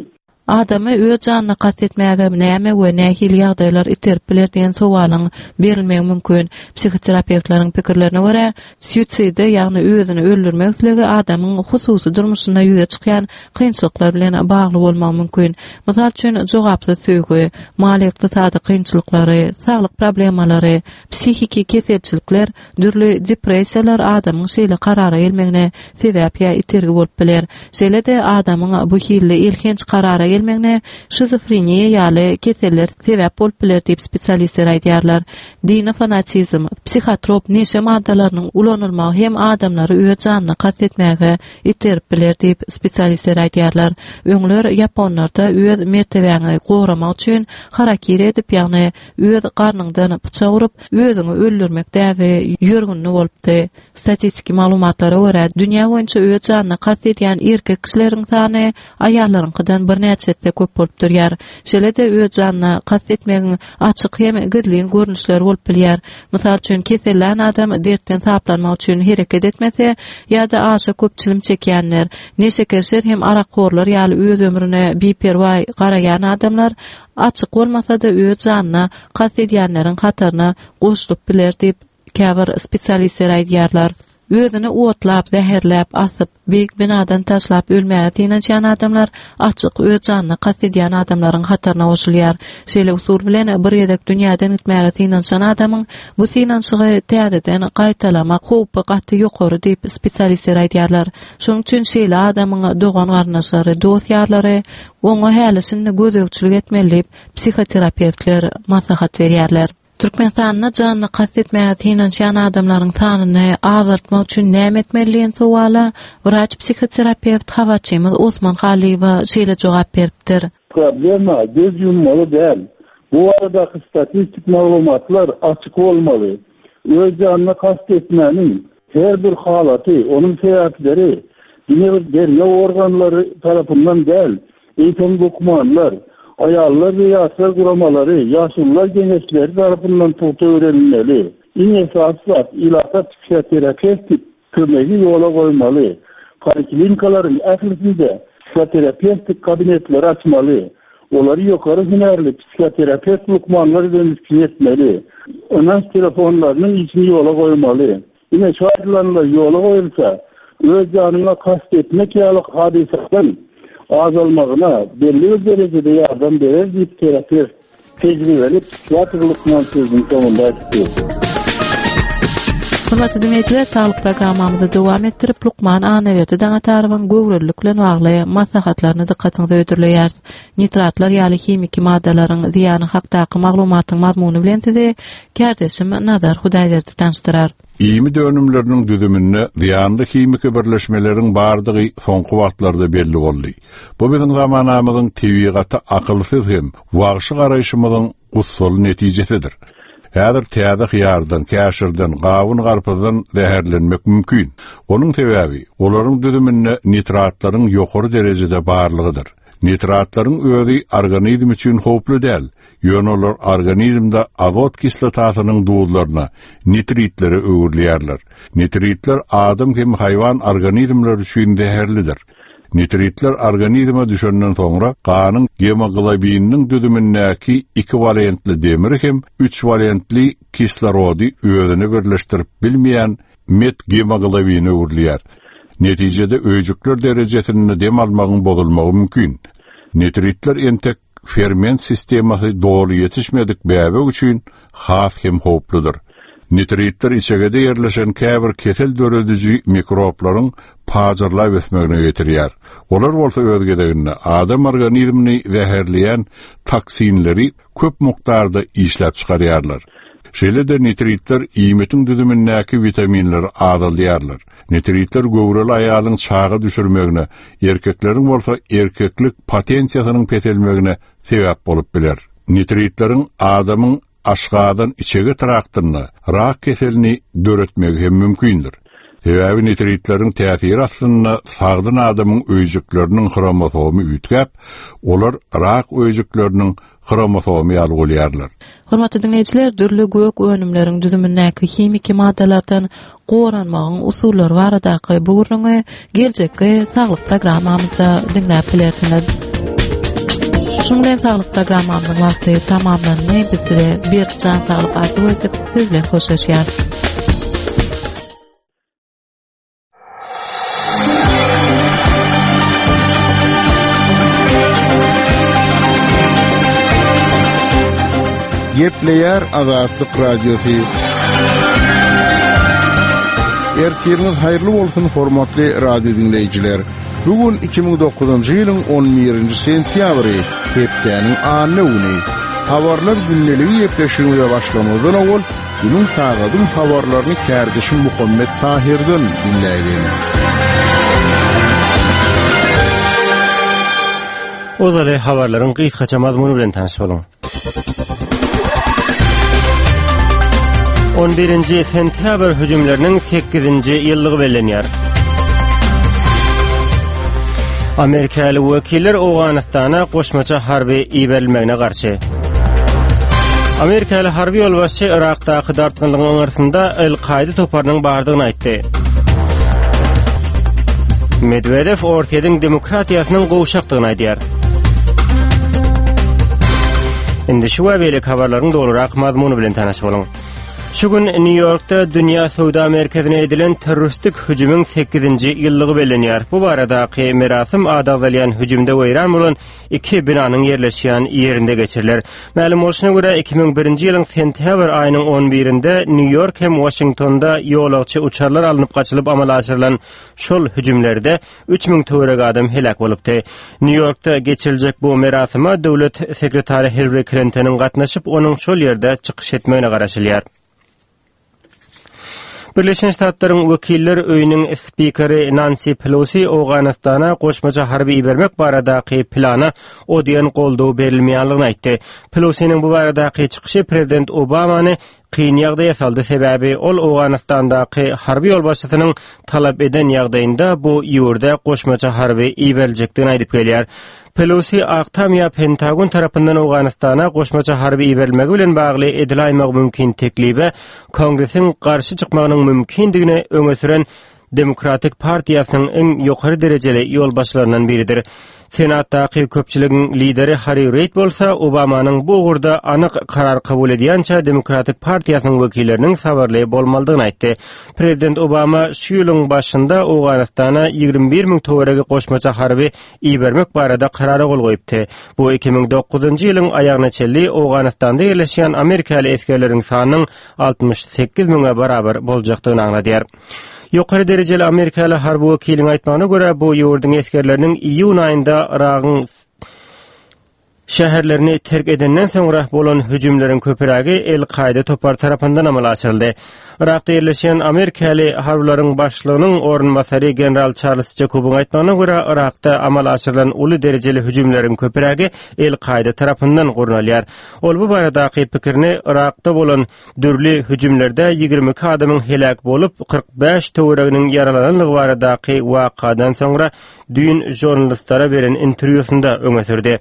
Adamy öz janyna kast etmäge näme we nähili ýagdaýlar iterip biler diýen sowalyň berilmegi mümkin. Psihoterapewtleriň pikirlerine görä, suiside, ýagny özüni öldürmek islegi adamyň hususy durmuşynda ýüze çykýan kynçylyklar bilen bagly bolmagy mümkin. Mysal üçin, jogapsyz söýgi, maliýe-ykdysady kynçylyklary, saglyk problemalary, psihiki keselçilikler, Dürli depressiýalar adamyň şeýle karara gelmegine sebäp ýa itergi bolup biler. Şeýle-de adamyň bu hilli elhenç karara gelmegine şizofreniýa ýaly keseller sebäp bolup biler diýip spesialistler aýdýarlar. Dini fanatizm, psihotrop neşe maddalarynyň ulanylmagy hem adamlary öz janyna kast etmäge iterip biler diýip spesialistler aýdýarlar. Öňler ýaponlarda öz mertebäňi goramak üçin harakiri edip, ýagny öz garnyňdan pyçak urup, özüňi öldürmek däbi ýörgünli bolupdy. Statistiki maglumatlara görä, dünýä boýunça öz janyna kast edýän erkek kişileriň sany aýallaryňkydan birnäçe esse köp bolup durýar. Şeýle-de öz janyna kast etmegiň açyk hem gizlin görnüşleri bolup bilýär. Mysal üçin, kesellän adam dertden saplanmak üçin hereket etmese ýa-da aşa köp çilim çekýänler, neşekeşler hem arakhorlar ýaly öz ömrüne biperwaý garaýan adamlar açyk bolmasa-da öz janyna kast edýänleriň hataryna goşulyp biler diýip, käbir spesialistler aýdýarlar. Özüni otlap, zäherläp, asyp, beýik binadan taşlap ölmäge synanyşýan adamlar açyk öz janyna kast edýän adamlaryň hataryna goşulýar. Şeýle usul bilen bir gezek dünýäden gitmäge synanyşan adamyň bu synanyşygy täzeden gaýtalamak howpy gaty ýokary diýip, spesialistler aýdýarlar. Şonuň üçin şeýle adamyň dogan-garyndaşlary, dost-ýarlary oňa häli-şindi gözegçilik etmeli diýip, psihoterapewtler maslahat berýärler. Türkmenistanda janyna kast etmäge synanyşýan adamlaryň sanyny azaltmak üçin näme etmeli diýen sowala wraç-psihoterapewt habarçymyz Osman Hallyýewa şeýle jogap beripdir. Problema göz ýummaly däl. Bu baradaky statistik maglumatlar açyk bolmaly. Öz janyna kast etmäniň her bir halaty, onuň sebäpleri diňe bir derňew organlary tarapyndan däl, eýsem lukmanlar, aýallar we ýaşlar guramalary, ýaşulular geňeşleri tarapyndan pugta öwrenilmeli. Iň esasy zat, ilata psihoterapewtik kömegi ýola goýmaly. Poliklinikalaryň ählisinde psihoterapewtik kabinetleri açmaly. Olary ýokary hünärli psihoterapewt lukmanlar bilen üpjün etmeli. Ynanç telefonlarynyň işini ýola goýmaly. Ine, şu aýdylanlar ýola goýulsa, öz janyňa kast etmek ýaly hadysalaryň azalmagyna belli bir derejede ýardam berer diýip, terapewt, tejribeli psihiatr lukman sözüniň soňunda aýtdy. Hormatly diňleýjiler, saglyk programmamyzy dowam etdirip, lukman Annaberdi Daňatarowyň göwrelilik bilen bagly maslahatlaryny dykgatyňyza hödürleýäris. Nitratlar ýaly himiki maddalaryň zyýany hakdaky maglumatyň mazmuny bilen sizi kärdeşim Nazar Hudaýberdi tanyşdyrar. Iýmit önümleriniň düzüminde zyýanly himiki birleşmeleriň bardygy soňky wagtlarda belli boldy. Bu biziň zamanamyzyň tebigata akylsyz hem wagşy garaýşymyzyň gussaly netijesidir. Häzir täze hyýardan, käşirden, gawun-garpyzdan zäherlenmek mümkin. Onuň sebäbi, olaryň düzüminde nitratlaryň ýokary derejede barlygydyr. Nitratlaryň özi organizm üçin howply däl, ýöne olar organizmde azot kislotasynyň duzlaryna, nitritlere öwrülýärler. Nitritler adam hem haýwan organizmleri üçin zäherlidir. Nitritler organizme düşenden soňra ganyň gemoglobininiň düzümindäki ikiwalentli demiri hem üçwalentli kislorody özüne birleşdirip bilmeýän metgemoglobine öwrülýär. Netijede öýjükler derejesinde dem almagyň bozulmagy mümkin. Nitritler entek ferment sistemasy doly ýetişmedik bäbek üçin has hem howpludyr. Nitritler içegede ýerleşen käbir kesel dörediji mikroblaryň pajyrlap ösmegine getirýär. Olar bolsa öz gezeginde adam organizmini zäherleýän toksinleri köp mukdarda işläp çykarýarlar. Şeýle-de nitritler iýmitiň düzümindäki witaminleri azaldýarlar. Nitritler göwreli aýalyň çaga düşürmegine, erkekleriň bolsa erkeklik potensiýasynyň peselmegine sebäp bolup biler. Nitritleriň adamyň aşgazan-içege traktynda rak keselini döretmegi hem mümkindir. Sebäbi nitritleriň täsiri astynda sagdyn adamyň öýjükleriniň hromosomy üýtgäp, olar rak öýjükleriniň hromosomy ýaly bolýarlar. Hormatly diňleýjiler, dürli gök önümleriň düzümindäki himiki maddalardan goranmagyň usullary baradaky bu gürrüňi geljekki saglyk programmamyzda diňläp bilersiňiz. Şunuň bilen saglyk programmamyzyň wagty tamamlandy. Biz size berk jan saglyk arzuw edip, siz bilen hoşlaşýarys. Gepleýär Azatlyk Radiosy. Ertiriňiz haýyrly bolsun, hormatly radio diňleýjiler. Bu gün 2009-njy ýylyň 11-nji sentýabry, hepdäniň anna güni. Habarlar gündeligi gepleşigimize başlamazdan owal Günüň sagadyň habarlaryny kärdeşim Muhammet Tahirden diňläýeliň. Ozaly habarlaryň gysgaça mazmuny bilen tanyş boluň. 11-nji sentýabr hüjümleriniň 8-nji ýyllygy bellenýär. Amerikaly wekiller Owganystana goşmaça harby iberilmegine garşy. Amerikaly harby ýolbaşçy Yrakdaky dartgynlygyň aňyrsynda El-Kaýda toparynyň bardygyny aýtdy. Medwedew Orsýetiň demokratiýasynyň gowşakdygyny aýdýar. Indi şu we beýleki habarlaryň dolurak mazmuny bilen tanyş boluň. Şu gün Nýu-Ýorkda Dünýä söwda merkezine edilen terroristik hüjümiň 8-nji ýyllygy bellenýär. Bu baradaky merasym ady agzalýan hüjümde weýran bolan iki binanyň ýerleşýän ýerinde geçiriler. Mälim bolşuna görä, 2001-nji ýylyň sentýabr aýynyň on birinde Nýu-Ýork hem Waşingtonda ýolagçy uçarlar alnyp gaçylyp amala aşyrylan şol hüjümlerde 3000 töweregi adam heläk bolupdy. Nýu-Ýorkda geçiriljek bu merasyma döwlet sekretary Hillari Klintonyň gatnaşyp, onuň şol ýerde çykyş etmegine garaşylýar. Birleşen Ştatlaryň Wekiller öýüniň spikeri Nansi Pelosi Owganystana goşmaça harby ibermek baradaky plana o diýen goldaw berilmeýänligini aýtdy. Pelosiniň bu baradaky çykyşy prezident Obamany kyn ýagdaýa saldy, sebäbi ol Owganystandaky harby ýolbaşçysynyň talap eden ýagdaýynda bu ýurda goşmaça harby iberiljekdigini aýdyp gelýär. Pelosi Ak Tam ýa Pentagon tarapyndan Owganystana goşmaça harby iberilmegi bilen bagly edilaýmagy mümkin teklibe Kongresiň garşy çykmagynyň mümkindigini öňe süren Demokratik partiýasynyň iň ýokary derejeli ýolbaşçylaryndan biridir. Senatdaky köpçüligiň lideri Harri Reid bolsa Obamanyň bu ugurda anyk karar kabul edýänçä Demokratik partiýasynyň wekilleriniň sabyrly bolmalydygyny aýtdy. Prezident Obama şu ýylyň başynda Owganystana 21 müň töweregi goşmaça harby ibermek barada karara gol goýupdy. Bu 2009-njy ýylyň aýagyna çenli Owganystanda ýerleşýän amerikaly esgerleriň sanynyň 68 müňe barabar boljakdygyny aňladýar. Ýokary derejeli amerikaly harby wekiliň aýtmagyna görä, bu ýurduň esgerleriniň iýun aýynda Yragyň şäherlerini terk edenden soňra bolan hüjümleriň köpürägi El-Kaýda topary tarapyndan amala aşyryldy. Yrakda ýerleşýän amerikaly harbylaryň başlygynyň orunbasary general Çarlz Jakobyň aýtmagyna görä, Yrakda amala aşyrylan uly derejeli hüjümleriň köpürägi El-Kaýda tarapyndan gurnalýar. Ol bu baradaky pikirini Yrakda bolan dürli hüjümlerde 22 adamyň heläk bolup, 45 töwereginiň ýaralananlygy baradaky wakadan soňra düýn žurnalistlere beren interwýusynda öňe sürdi.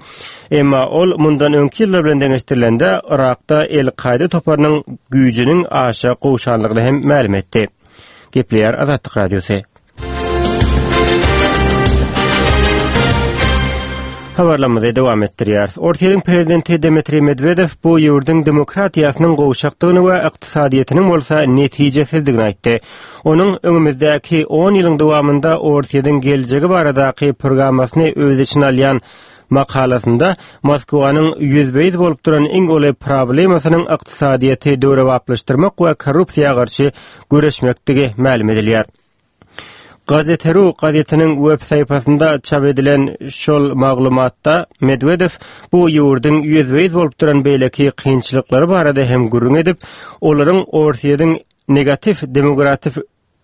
Emma ol mundan öňki ýyllar bilen deňeşdirilende Yrakda El-Kaýda toparynyň güýjüniň aşa gowşanlygyny hem mälim etdi. Gepleýär Azatlyk Radiosy. Habarlarymyzy dowam etdirýäris. Orsýetiň prezidenti Dmitriý Medwedew bu ýurduň demokratiýasynyň gowşakdygyny we ykdysadyýetiniň bolsa netijesizdigini aýtdy. Onuň öňümizdäki on ýylyň dowamynda Orsýetiň geljegi baradaky programmasyny öz içine alýan makalasynda Moskwanyň ýüzbe-ýüz bolup duran iň uly problemasynyň ykdysadyýeti döwrebaplaşdyrmak we korrupsiýa garşy göreşmekdigi mälim edilýär. Gazete.ru gazetiniň web sahypasynda çap edilen şol maglumatda Medwedew bu ýurduň ýüzbe-ýüz bolup duran beýleki kynçylyklary barada hem gürrüň edip, olaryň Orsýetiň negatiw demogratif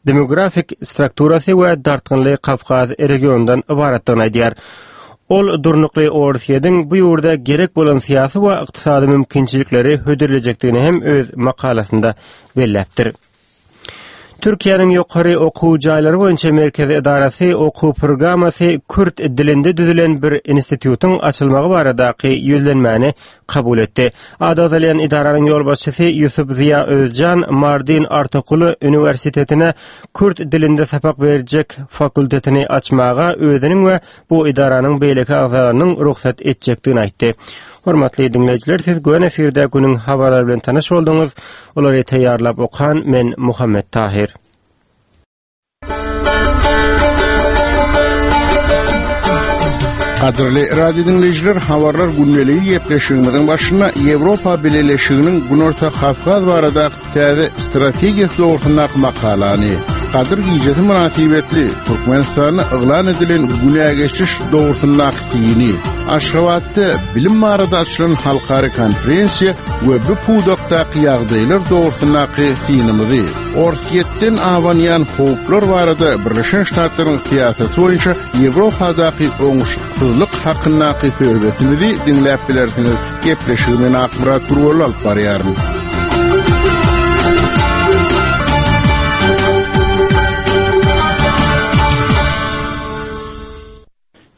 demografik strukturasy we dartgynly Kawkaz regionyndan ybaratdygyny aýdýar. Ol durnukly Orsýetiň bu ýurda gerek bolan syýasy we ykdysady mümkinçilikleri hödürlejekdigini hem öz makalasynda belläpdir. Türkiýäniň ýokary okuw jaýlary boýunça merkezi edarasy okuw programmasy kürt dilinde düzülen bir institutyň açylmagy baradaky ýüzlenmäni kabul etdi. Ady agzalýan edaranyň ýolbaşçysy Ýusup Ziýa Özjan Mardin Artokuly uniwersitetine kürt dilinde sapak berjek fakultetini açmaga özüniň we bu edaranyň beýleki agzalarynyň rugsat etjekdigini aýtdy. Hormatly diňleýjiler, siz göni efirde günüň habarlary bilen tanyş bolduňyz. Olary taýýarlap okan men Muhammet Tahyr. Gadyrly radio diňleýjiler, habarlar gündeligi gepleşigimiziň başynda Ýewropa Bileleşiginiň Günorta Kawkaz baradaky täze strategiýasy dogrusyndaky makalany, Gadyr gijesi mynasybetli Türkmenistanda yglan edilen günä geçiş dogrusyndaky syny, Aşgabatda bilim barada açylan halkara konferensiýa we bu pudakdaky ýagdaýlar dogrusyndaky synymyzy, Orsýetden abanýan howplar barada Birleşen Ştatlaryň syýasaty boýunça Ýewropadaky oňuşyksyzlyk hakyndaky söhbetimizi diňläp bilersiňiz. Gepleşigi men Akmyrat Gurbanly alyp barýaryn.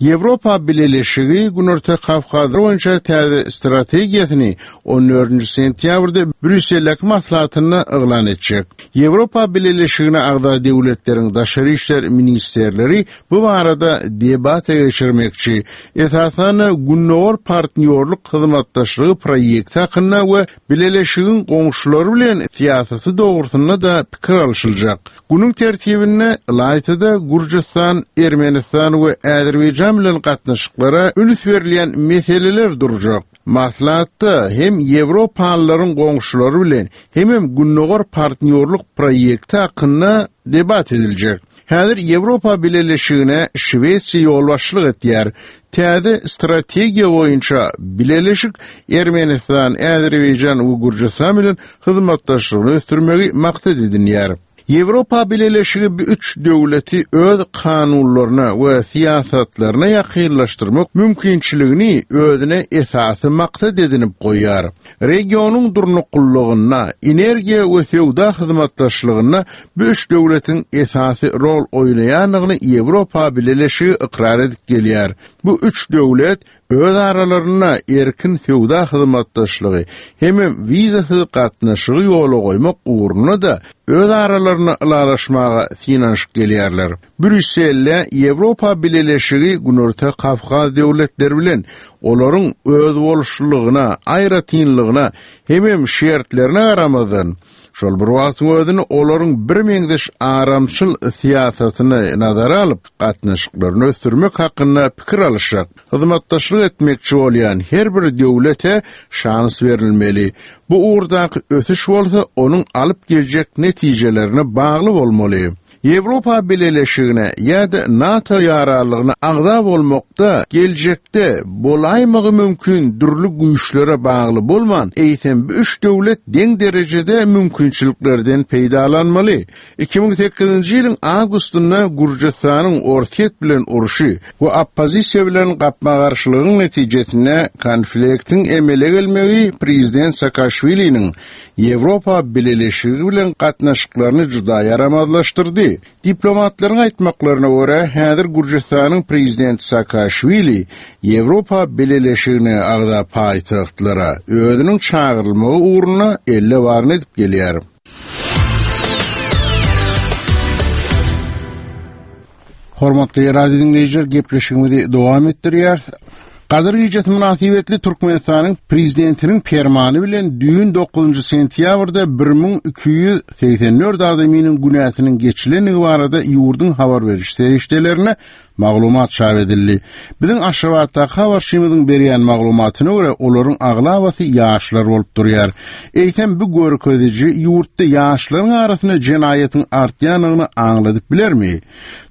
Ýewropa Bileleşigi Günorta Kawkaz boýunça täze strategiýasyny on dördünji sentýabrda Brýusseldäki maslahatynda yglan etjek. Ýewropa Bileleşigine agza döwletleriň daşary işler ministrleri bu barada debata geçirmekçi. Esasan-da, Gündogar partnýorlyk hyzmatdaşlygy proýekti hakynda we Bileleşigiň goňşulary bilen syýasaty dogrusynda-da pikir alşyljak. Günüň tertibinde ylaýta-da Gürjüstan, Ermenistan we Azerbaýjan bilen gatnaşyklara üns berilýän meseleler durjak. Maslahatda hem ýewropalylaryň goňşulary bilen, hemem Gündogar partnýorlyk proýekti hakynda debat ediljek. Häzir Ýewropa Bileleşigine Şwesiýa ýolbaşçylyk etýär. Täze strategiýa boýunça Bileleşik Ermenistan, Azerbaýjan we Gürjüstan bilen hyzmatdaşlygyny ösdürmegi maksat edinýär. Ýewropa Bileleşigi bu üç döwleti öz kanunlaryna we syýasatlaryna ýakynlaşdyrmak mümkinçiligini özüne esasy maksat edinip goýýar. Regionyň durnuklylygynda, energiýa we söwda hyzmatdaşlygynda bu üç döwletiň esasy rol oýnaýandygyny Ýewropa Bileleşigi ykrar edip gelýär. Bu üç döwlet öz aralarynda erkin söwda hyzmatdaşlygy hemem wizasyz gatnaşygy ýola goýmak ugrunda-da öz aralarynda ylalaşmaga synanyşyp gelýärler. Brýusselde Ýewropa Bileleşigi Günorta Kawkaz döwletleri bilen olaryň özboluşlylygyna, aýratynlygyna hemem şertlerine garamazdan, şol bir wagtyň özünde olaryň birmeňzeş aramçyl syýasatyny nazara alyp, gatnaşyklaryny ösdürmek hakynda pikir alyşjak, hyzmatdaşlyk etmekçi bolýan her bir döwlete şans berilmeli. Bu ugurdaky ösüş bolsa onuň alyp geljek netijelerine bagly bolmaly. Ýewropa Bileleşigine ýa-da NATO ýaranlygyna agza bolmakda geljekde bolaýmagy mümkin dürli güýçlere bagly bolman, eýsem bu üç döwlet deň derejede mümkinçiliklerden peýdalanmaly. 2008-nji ýylyň awgustynda Gürjüstanyň Orsýet bilen urşy we oppozisiýa bilen gapma-garşylygyň netijesinde konfliktiň emele gelmegi prezident Saakaşwiliniň Ýewropa Bileleşigi bilen gatnaşyklaryny juda ýaramazlaşdyrdy. Diplomatlaryň aýtmaklaryna görä, häzir Gürjüstanyň prezidenti Saakaşwili Ýewropa Bileleşigine agza paýtagtlara özüniň çagyrylmagy ugrunda elle baryny edip gelýär. Hormatly radio diňleýjiler, gepleşigimizi dowam etdirýäris. Gadyr gijesi mynasybetli Türkmenistanyň Prezidentiniň permany bilen düýn 9 sentýabrda 1284 adamynyň günäsiniň geçilendigi barada ýurduň habar beriş serişdelerinde Maglumat çap edildi. Biziň Aşgabatdaky habarçymyzyň berýän maglumatyna görä, olaryň aglabasy ýaşlar bolup durýar. Eýsem, bu görkeziji ýurtda ýaşlaryň arasynda jenaýatyň artýandygyny aňladyp bilermi?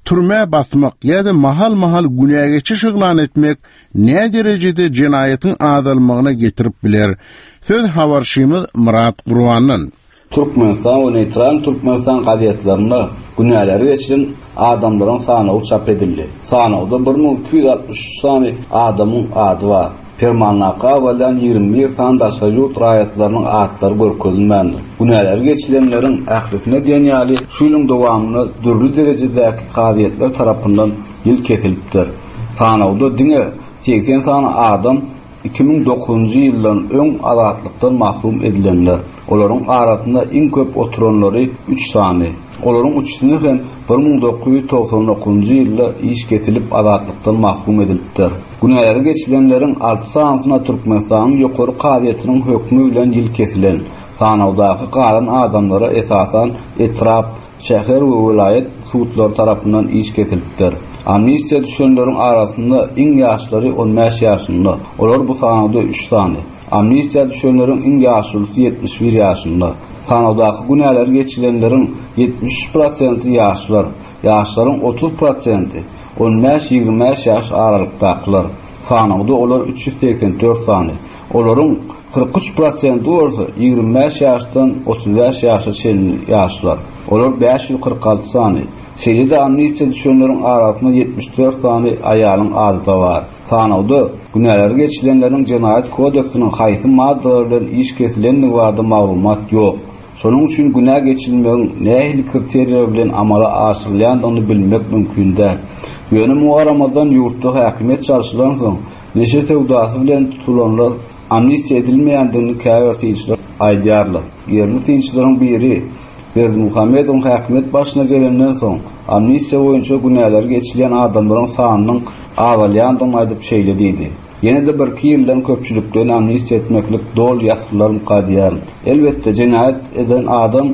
Türmä basmak ýa-da mahal-mahal günä geçiş yglan etmek näderejede jenaýatyň azalmagyna getirip biler? Söz habarçymyz Myrat Gurbandan. Türkmenistan we Neýtral Türkmenistan gazetlerinde günäleri geçilen adamlaryň sanawy çap edildi. Sanawda 1263 sany adamyň ady bar. Permandaky agzalýan 21 sany daşary ýurt raýatlarynyň atlary görkezilmändir. Günäleri geçilenleriň ählisine diýen ýaly şu ýylyň dowamynda dürli derejedäki kazyýetler tarapyndan ýyl kesilipdir. Sanawda diňe 80 sany adam 2009-njy ýyldan öň azatlykdan mahrum edilenler. Olaryň arasynda iň köp oturanlary üç sany. Olaryň üçüsine hem 1999-njy ýylda iş kesilip azatlykdan mahrum edilipdir. Günäleri geçilenleriň alty sanysyna Türkmenistanyň Ýokary kazyýetiniň hökmi bilen ýyl kesilen. Sanawdaky galan adamlara esasan etrap, şäher we welaýat sudlary tarapyndan iş kesilipdir. Amnistiýa düşenleriň arasynda iň ýaşlary on bäş ýaşynda, olar bu sanawda üç sany. Amnistiýa düşenleriň iň ýaşulusy 71 ýaşynda. Sanawdaky günäleri geçilenleriň 73 prosenti ýaşlar, ýaşlaryň 30 prosenti, on bäş-ýigrimi bäş ýaş aralykdakylar. Sanawda olar 384 sany. Olaryň 43 prosenti bolsa 25 ýaşdan 35 ýaşa çenli ýaşlar. Olar 546 sany. Şeýle-de amnistiýa düşenleriň arasynda 74 sany aýalyň ady-da bar. Sanawda günäleri geçilenleriň Jenaýat kodeksiniň haýsy maddalary bilen iş kesilendigi barada maglumat ýok. Şonuň üçin günä geçilmegiň nähili kriteriýalar bilen amala aşyrylýandygyny bilmek mümkin däl. Ýöne muňa garamazdan ýurtda häkimiýet çalşylansoň, neşe söwdasy bilen tutulanlar amnistiýa edilmeýändigini käbir synçylar aýdýarlar. Ýerli synçylaryň biri Berdimuhamedowyň häkimiýet başyna gelenden soň, amnistiýa boýunça günäleri geçilýän adamlaryň sanynyň azalýandygyny aýdyp şeýle diýdi, Ýene-de birki ýyldan köpçülikleýin amnistiýa etmeklik doly ýatyrylarmyka diýýärin. Elbetde, jenaýat eden adam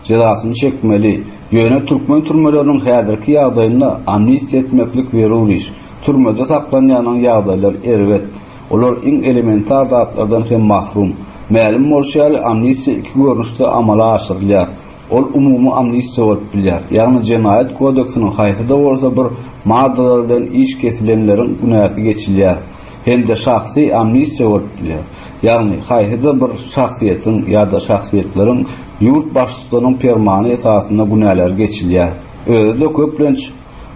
jezasyny çekmeli. Ýöne türkmen türmeleriniň häzirki ýagdaýynda amnistiýa etmeklik zerur iş. Türmede saklanýanyň ýagdaýlary erbet. Olar iň elementar zatlardan hem mahrum. Mälim bolşy ýaly, amnistiýa iki görnüşde amala aşyrylýar. Ol umumy amnistiýa bolup bilýär, ýagny Jenaýat kodeksiniň haýsy-da bolsa bir maddalary bilen iş kesilenleriň günäsi geçilýär, hem-de şahsy amnistiýa bolup bilýär, ýagny haýsy-da bir şahsyýetiň ýa-da şahsyýetleriň ýurt baştutanyň permany esasynda günäleri geçilýär. Özi-de köplenç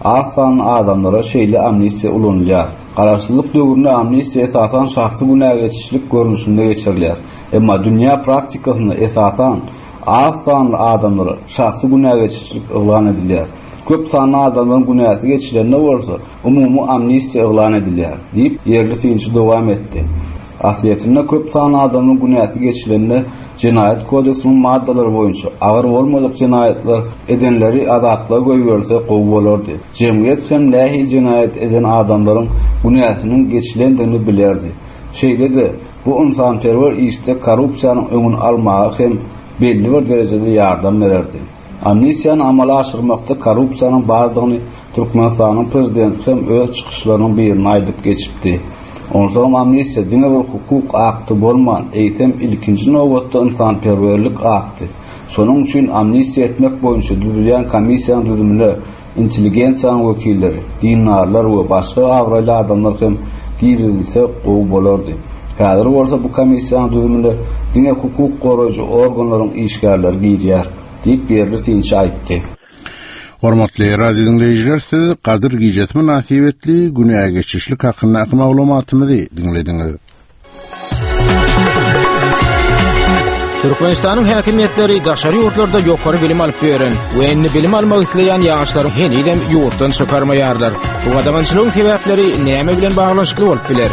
Az sanly adamlara şeýle amnistiýa ulanylýar. Garaşsyzlyk döwründe amnistiýa esasan şahsy günägeçişlik görnüşinde geçirilýär. Emma dünýä praktikasynda esasan az sanly adamlara şahsy günägeçişlik yglan edilýär. Köp sanly adamlaryň günäsi geçilende bolsa, umumy amnistiýa yglan edilýär, diýip, ýerli synçy dowam etdi. Aslyýetinde köp sanly adamyň günäsi geçilende Jenaýat kodeksiniň maddalary boýunça agyr bolmadyk jenaýatlar edenleri azatlyga goýberilse gowy bolardy. Jemgyýet hem nähili jenaýat eden adamlaryň günäsiniň geçilendigini bilerdi. Şeýle-de, bu ynsanperwer işde korrupsiýanyň öňüni almaga hem belli bir derejede ýardam bererdi. Amnistiýany amala aşyrmakda korrupsiýanyň bardygyny Türkmenistanyň prezidenti hem öz çykyşlarynyň birinde aýdyp geçipdi. Onsoňam amnistiýa diňe bir hukuk akty bolman, eýsem ilkinji nobatda ynsanperwerlik akty. Şonuň üçin amnistiýa etmek boýunça düzülýän komissiýanyň düzümine intelligensiýanyň wekilleri, dindarlar we başga abraýly adamlar hem girizilse gowy bolardy. Häzir bolsa bu komissiýanyň düzümine diňe hukuk goraýjy organlaryň işgärleri girýär, diýip, ýerli synçy aýtdy. Hormatly radio diňleýjiler, siz Gadyr gijesi mynasybetli günä geçişlik hakyndaky maglumatymyzy diňlediňiz. Türkmenistanyň häkimiýetleri daşary ýurtlarda ýokary bilim alyp ýören we indi bilim almak isleýän ýaşlary henizem ýurtdan çykarmaýarlar. Bu gadagançylygyň sebäpleri näme bilen baglanyşykly bolup biler?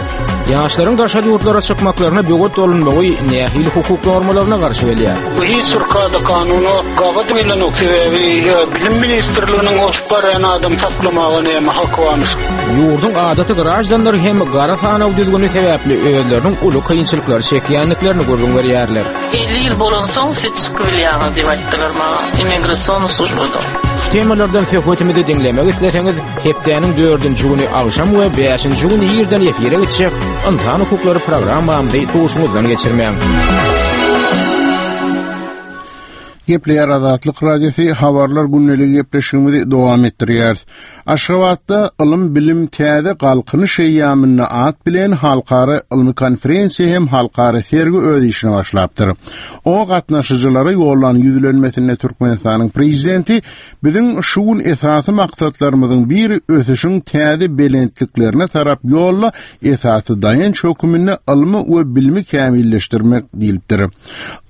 Ýaşlaryň daşary ýurtlara çykmaklaryna böwet bolunmagy nähili hukuk normalaryna garşy gelýär? Bu hiç bir kada-kanuna gabat gelenok, sebäbi Bilim ministrliginiň oşup barýan adam saklamaga näme haky barmyş? Ýurduň adaty graždanlary hem gara sanaw düzgüni sebäpli özleriniň uly kynçylyklary çekýändiklerini gürrüň berýärler. 50 ýyl bolansoň siz çykyp bilýäňiz diýip aýtdylar maňa immigrasion službada. Şu temalardan söhbetimizi diňlemek isleseňiz, hepdäniň dördünji güni agşam we bäşinji güni irden efire geçjek Ynsan hukuklary programmamyzy duşuňyzdan geçirmäň. Gepleýär Azatlyk Radiosy Habarlar gündeligi gepleşigimizi dowam etdirýäris. Aşgabatda Ylym-bilim täze Galkynyş eýýamynda at bilen halkara ylmy konferensiýa hem halkara sergi öz işine başlapdyr. Oňa gatnaşyjylara ýollan ýüzlenmesinde Türkmenistanyň Prezidenti Biziň şu gün esasy maksatlarymyzyň biri ösüşiň täze belentliklerine tarap ýolda esasy daýanç höküminde ylmy we bilimi kämilleşdirmek diýlipdir.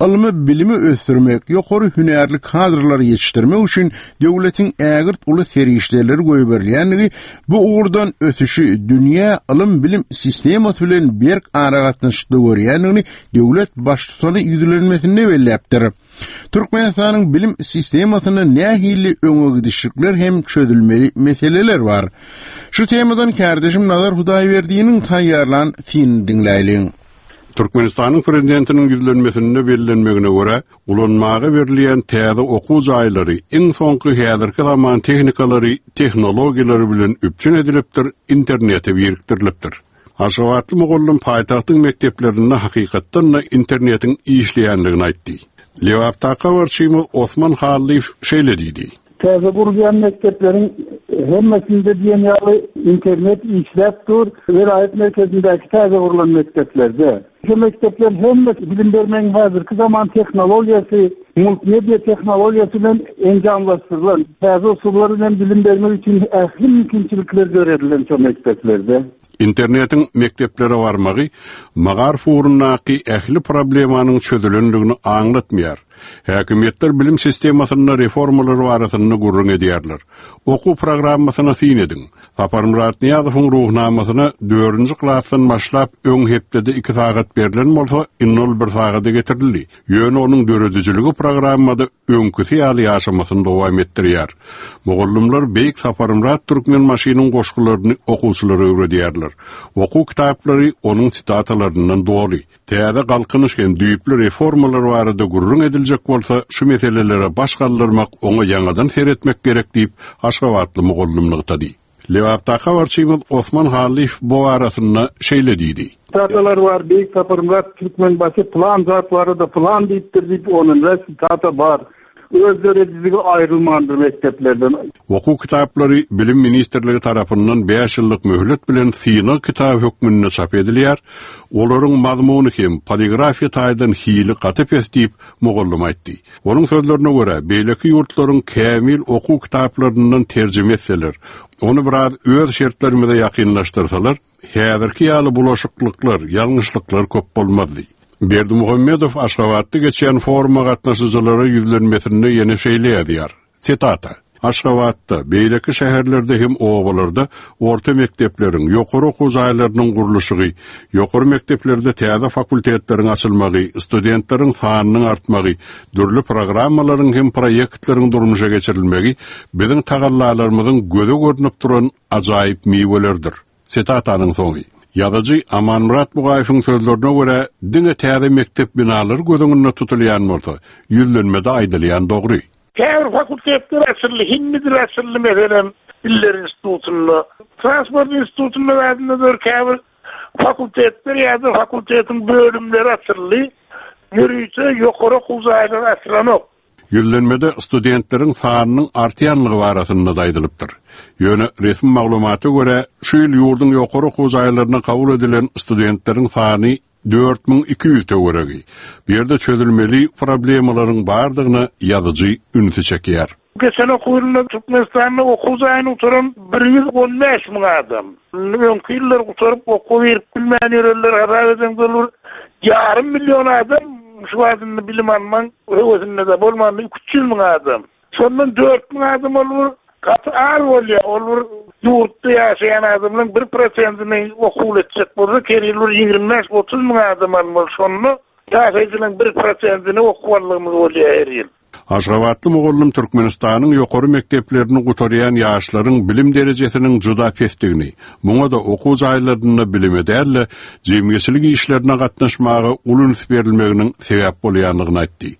Ylmy bilimi ösdürmek, ýokary hünärli kadrlary ýetişdirmek üçin döwletiň ägirt uly serişdeleri goýberilýändigi bu ugurdan ösüşi dünýä ylym-bilim sistemasy bilen berk aragatnaşykda görýändigini döwlet Baştutany ýüzlenmesinde belläpdir. Türkmenistanyň bilim sistemasynda nähili öňe gidişlikler hem çözülmeli meseleler bar? Şu temadan kärdeşim Nazar Hudaýberdiniň taýýarlan synyny diňläýliň. Türkmenistanyň Prezidentiniň ýüzlenmesinde bellenmegine görä, ulanmaga berilýän täze okuw jaýlary iň soňky häzirki zaman tehnikalary, tehnologiýalary bilen üpjün edilipdir, internete birikdirilipdir. Aşgabatly mugallym paýtagtyň mekdeplerinde hakykatdan-da internetiň işleýändigini aýtdy. Lebapdaky habarçymyz Osman Hallyýew şeýle diýdi. Täze gurulýan mekdepleriň hemmesinde diýen ýaly internet işläp dur, welaýat merkezindäki täze gurlan mekdeplerde. Şu mekdepler hemmesi bilim bermegiň häzirki zaman tehnologiýasy, multmediýa tehnologiýasy bilen enjamlaşdyrylan, täze usullar bilen bilim bermek üçin ähli mümkinçilikler döredilen şo mekdeplerde. Internetiň mekdeplere barmagy magaryf ugrundaky ähli problemanyň çözülendigini aňlatmaýar. Häkimiýetler bilim sistemasynda reformalar barasynda gürrüň edýärler. Okuw programmasyna syn ediň. Saparmyrat Nyýazowyň Ruhnamasyna dördünji klasdan başlap öň hepdede iki sagat berlen bolsa, indi ol bir sagada getirildi. Ýöne onuň döredijiligi programmada öňküsi ýaly ýaşamasyny dowam etdirýär. Mugallymlar Beýik Saparmyrat Türkmenbaşynyň goşgularyny okuwçylara öwredýärler. Okuw kitaplary onuň sitatalaryndan doly. Täze Galkynyş hem düýpli reformalar barada gürrüň ediljek bolsa, şu meselelere baş galdyrmak, oňa ýaňadan seretmek gerek diýip, aşgabatly mugallym nygtady. Lebapdaky habarçymyz Osman Hallyýew bu barasynda şeýle diýdi. Sitatalar bar, Beýik Saparmyrat Türkmenbaşy pylan zat barada pylan diýipdir diýip, onunda sitata bar. Öz döredijiligi aýrylmandyr mekdeplerden. Okuw kitaplary Bilim ministrligi tarapyndan bäş ýyllyk möhlet bilen synag kitaby hökmünde çap edilýär. Olaryň mazmuny hem poligrafiýa taýdan hili gaty pes diýip, mugallym aýtdy. Onuň sözlerine görä, beýleki ýurtlaryň kämil okuw kitaplaryndan terjime etseler, ony biraz öz şertlerimize ýakynlaşdyrsalar, Häzirki ýaly bulaşyklyklar, ýalňyşlyklar köp bolmazdy. Berdimuhamedow Aşgabatda geçýän foruma gatnaşyjylara ýüzlenmesinde ýene şeýle ýazýar, sitata, Aşgabatda, beýleki şäherlerde hem obalarda orta mekdepleriň, ýokary okuw jaýlarynyň gurluşygy, ýokary mekdeplerde täze fakultetleriň açylmagy, studentleriň sanynyň artmagy, dürli programmalaryň hem proýektleriň durmuşa geçirilmegi biziň tagallalarymyzyň göze görnüp duran ajaýyp miwelerdir. Sitatanyň soňy. Ýazyjy Amanmyrat Bugaýewiň sözlerine görä, diňe täze mekdep binalary göz öňünde tutulýan bolsa, ýüzlenmede aýdylýan dogry. Käbir fakultetler açyldy, hindi dili açyldy, meselem, Diller institutynda. Transport institutynda zadynda-da käbir fakultetler ýa-da fakultetiň bölümleri açyldy. Ýörite ýokary okuw jaýlary açylanok. Ýüzlenmede studentleriň sanynyň artýanlygy barasynda-da aýdylypdyr. Ýöne resmi maglumata görä, şu ýyl ýurduň ýokary okuw jaýlaryna kabul edilen studentleriň sany 4200 töweregi. Bu ýerde çözülmeli problemalaryň bardygyna ýazyjy ünsi çekýär. Geçen okuw ýylynda Türkmenistanda okuw jaýyny gutaran 115 müň adam. Indi öňki ýyllar gutaryp okuwa girip bilmän ýörenleri hasap edeňde ol bir ýarym million adam şu wagt indi bilim almaň höwesinde-de bolmanda 300 müň adam. Şondan 4000 adam ol bir gaty az bolýar. Ol bir ýurtda ýaşaýan adamlaryň bir prosentini okuwly etjek bolsa her ýyl bir 25-30 müň adam almaly. Şonda ýaşaýjylaryň bir prosentini okuw aldygymyz bolýar her ýyl. Aşgabatly mugallym Türkmenistanyň ýokary mekdeplerini gutarýan ýaşlaryň bilim derejesiniň juda pesdigini, muňa-da okuw jaýlarynda bilime däl-de, jemgyýetçilik işlerine gatnaşmaga uly üns berilmeginiň sebäp bolýandygyny aýtdy.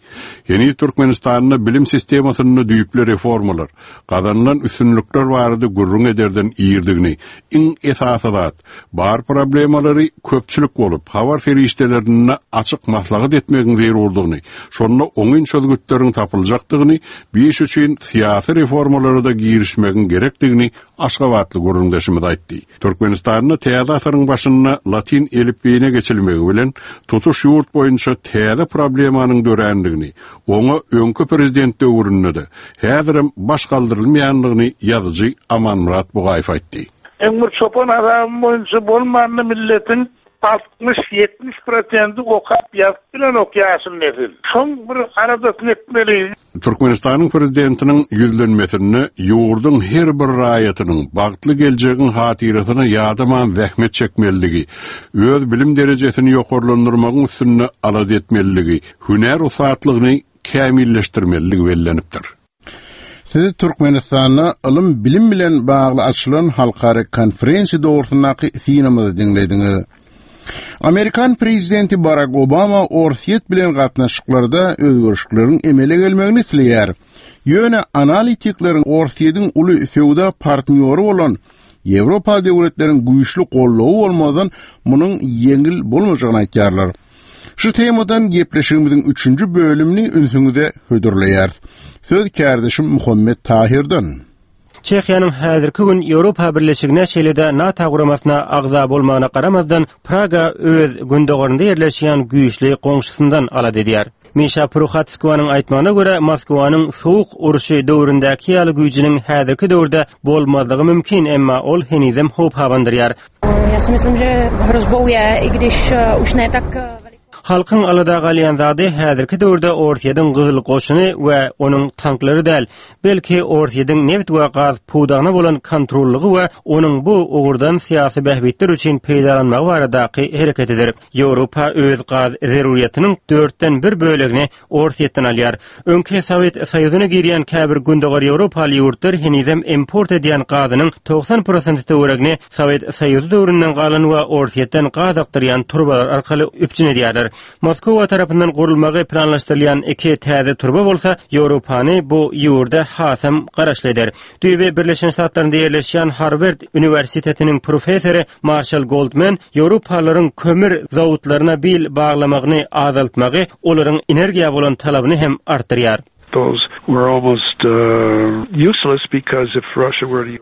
Heniz Türkmenistanda bilim sistemasynda düýpli reformalar, gazanylan üstünlikler barada gürrüň ederden irdigini, iň esasy zat, Bar problemalary köpçülik bolup, habar serişdelerinde açyk maslahat etmegiň zerurdygyny, şonda oňyn çözgütleriň. tapyljakdygyny, bu iş üçin syýasy reformalara-da girişmegiň gerekdigini aşgabatly gürrüňdeşimiz aýtdy. Türkmenistanda täze asyryň başynda latyn elipbiýine geçilmegi bilen tutuş ýurt boýunça täze problemanyň dörändigini, oňa öňki prezident döwründe-de, häzirem baş galdyrylmaýandygyny ýazyjy Amanmyrat Bugaýew aýtdy. Iň bir çopan hasabym boýunça bolmanda milletiň 60, 70 prosendi okap ýazyp bilenok ýaşyl nesil. Şoň bir aladasyny etmeli. Türkmenistanyň Prezidentiniň Ýüzlenmesinde ýurduň her bir raýatynyň bagtly geljegiň hatyrasyna ýadaman zähmet çekmelidigi, öz bilim derejesini ýokarlandyrmagyň üstünde alada etmelidigi, hünär ussatlygyny kämilleşdirmelidigi bellenipdir. Siz Türkmenistanda ylym-bilim bilen bagly açylan halkara konferensiýa dogrusyndaky synymyzy diňlediňiz. Amerikan prezidenti Barak Obama Orsýet bilen gatnaşyklarda özgerişlikleriň emele gelmegini isleýär. Ýöne analitikleriň Orsýetiň uly söwda partnýory bolan Ýewropa döwletleriň güýçli goldawy bolmazdan munuň ýeňil bolmajagyny aýtýarlar. Şu temadan gepleşigimiziň üçünji bölümini ünsüňize hödürleýäris. Söz kärdeşim Muhammet Tahirden. Çehiýanyň häzirki gün Ýewropa Birleşigine şeýle-de NATO guramasyna agza bolmagyna garamazdan, Praga öz gündogarynda ýerleşýän güýçli goňşusyndan alada edýär. Mişa Pruhatskowanyň aýtmagyna görä, Moskwanyň Sowuk urşy döwründäki ýaly güýjüniň häzirki döwürde bolmazlygy mümkin, emma ol henizem howp abandyrýar. Halkyň alada galýan zady häzirki döwürde Orsýetiň Gyzyl goşuny we onuň tanklary däl, belki Orsýetiň nebit we gaz pudagyna bolan kontrollygy we onuň bu ugurdan syýasy bähbitler üçin peýdalanmagy baradaky hereketidir. Ýewropa öz gaz zerurýatynyň dörtden bir bölegini Orsýetden alýar. Öňki Sowet Soýuzyna girýän käbir Gündogar Ýewropaly ýurtlar henizem import edýän gazynyň 90 prosenti töweregini Sowet Soýuzy döwründen galan we Orsýetden gaz akdyrýan turbalar arkaly üpjün edýärler. Moskwa tarapyndan gurulmagy planlaşdyrylýan iki täze turba bolsa Ýewropany bu ýurda hasam garaşly eder. Düýbi Birleşen Ştatlarynda ýerleşýän Harward uniwersitetiniň professory Marşal Goldman ýewropalylaryň kömür zawodlaryna bil baglamagyny azaltmagy olaryň energiýa bolan talabyny hem artdyrýar.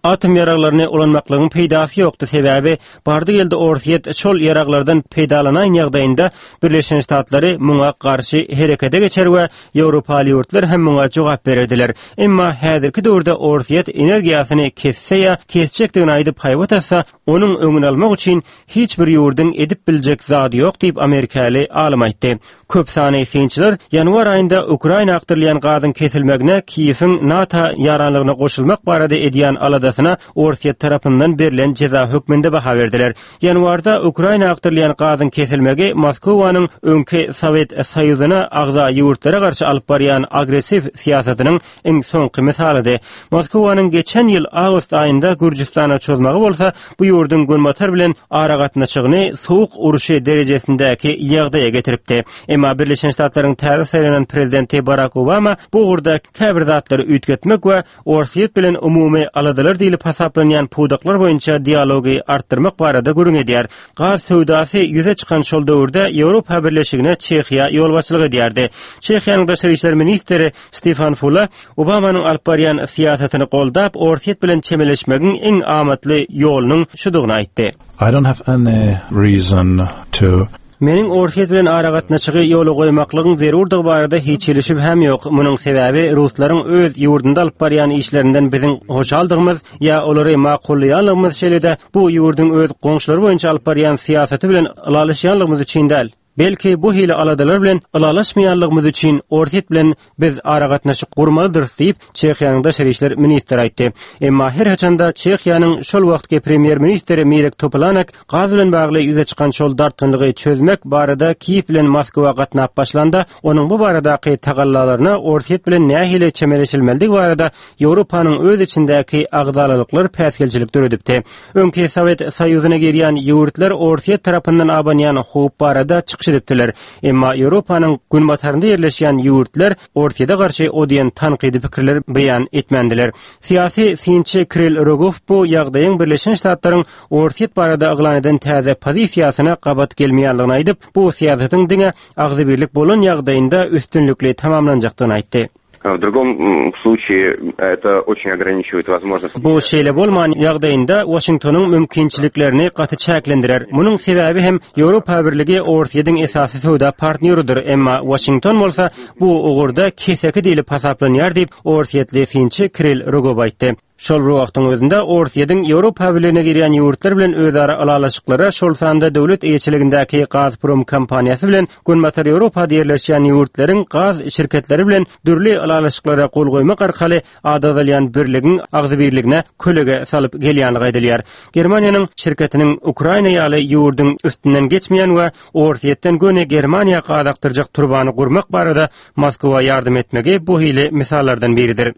Atom ýaraglaryny ulanmaklygyň peýdasy ýokdy, sebäbi bardy-geldi Orsýet şol ýaraglardan peýdalanaýan ýagdaýynda Birleşen Ştatlary muňa garşy herekete geçer we Ýewropaly ýurtlar hem muňa jogap bererdiler. Emma häzirki döwürde Orsýet energiýasyny kesse ýa kesjekdigini aýdyp haýbat atsa, onuň öňüni almak üçin hiç bir ýurduň edip biljek zady ýok diýip amerikaly alym aýtdy. Köp sanly synçylar ýanwar aýynda Ukraina akdyrylýan gazyň kesilmegine Kiýewiň NATO ýaranlygyna goşulmak barada edýän aladasyna Orsýet tarapyndan berlen jeza hökmünde baha berdiler. Ýanwarda Ukraina akdyrylýan gazyň kesilmegi Moskwanyň öňki Sowet Soýuzyna agza ýurtlara garşy alyp barýan agressiw syýasatynyň iň soňky mysalydy. Moskwanyň geçen ýyl awgust aýynda Gürjüstana çozmagy bolsa bu ýurduň Günbatar bilen aragatnaşygyny sowuk urşy derejesindäki ýagdaýa getiripdi. Emma Birleşen Ştatlaryň täze saýlanan prezidenti Barak Obama bu ugurda käbir zatlary üýtgetmek we Orsýet bilen umumy aladalar diýlip hasaplanýan pudaklar boýunça dialogy artdyrmak barada gürrüň edýär. Gaz söwdasy ýüze çykan şol döwürde Ýewropa Birleşigine Çehiýa ýolbaşçylyk edýärdi. Çehiýanyň daşary işler ministri Stefan Fula Obamanyň alyp barýan syýasatyny goldap, Orsýet bilen çemeleşmegiň iň amatly ýolunyň şudugyny aýtdy. I don't have any reason to Meniň Orsýet bilen aragatnaşygy ýola goýmaklygyň zerurdygy barada hiç hili şübhäm ýok. Munuň sebäbi ruslaryň öz ýurdunda alyp barýan işlerinden biziň hoşaldygymyz ýa olary makullaýanlygymyz şeýle-de bu ýurduň öz goňşulary boýunça alyp barýan syýasaty bilen ylalaşýanlygymyz üçin däl. Belki bu hili aladalar bilen ylalaşmaýanlygymyz üçin Orsýet bilen biz aragatnaşyk gurmalydyrys diýip, Çehiýanyň daşary işler ministri aýtdy. Emma her haçanda Çehiýanyň şol wagtky premýer-ministri Mirek Topolanek gaz bilen bagly ýüze çykan şol dartgynlygy çözmek barada Kiýew bilen Moskwa gatnap başlanda, onuň bu baradaky tagallalaryna Orsýet bilen nähili çemeleşilmelidigi barada Ýewropanyň öz içindäki agzalalyklar päsgelçilik döredipdi. Öňki Sowet Soýuzyna girýän ýurtlar Orsýet tarapyndan abanýan howp barada çykyş edipdiler. Emma Ýewropanyň günbatarynda ýerleşýän ýurtlar Orsýete garşy o diýen tankydy pikirler beýan etmändiler. Syýasy synçy Kirill Rogow bu ýagdaýyň Birleşen Ştatlaryň Orsýet barada yglan eden täze pozisiýasyna gabat gelmeýänligini aýdyp, bu syýasatyň diňe agzybirlik bolan ýagdaýynda üstünlikli tamamlanjakdygyny aýtdy. В другом случае это очень ограничивает возможность. Bu şeýle bolman ýagdaýynda Waşingtonyň mümkinçiliklerini gaty çäklendirer. Munuň sebäbi hem Ýewropa Birligi Orsýetiň esasy söwda partnýorydyr, emma Waşington bolsa bu ugurda keseki diýlip hasaplanýar diýip, orsýetli synçy Kirill Rogow aýtdy. Şol bir wagtyň özünde, Orsýetiň Ýewropa Birligine girýän ýurtlar bilen özara ylalaşyklara, şol sanda döwlet eýeçiligindäki Gazprom kompaniýasy bilen Günbatar Ýewropada ýerleşýän ýurtlaryň gaz şirketleri bilen dürli ylalaşyklara gol goýmak arkaly ady agzalýan birligiň agzybirligine kölege salyp gelýänligi aýdylýar. Germaniýanyň şirketiniň Ukraina ýaly ýurduň üstünden geçmeýän we Orsýetden göni Germaniýa gaz akdyrjak turbany gurmak barada Moskwa ýardam etmegi bu hili mysallardan biridir.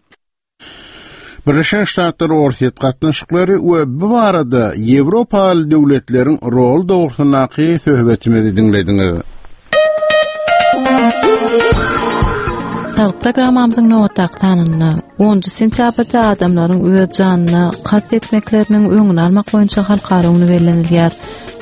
Birleşen Ştatlar-Orsýet gatnaşyklary we bu barada ýewropaly döwletleriň roly dogrusyndaky söhbetimizi diňlediňiz. Saglyk programmamyzyň nobatdaky sanynda 10 sentýabrda adamlaryň öz janyna kast etmekleriniň öňüni almak boýunça halkara güni bellenilýär.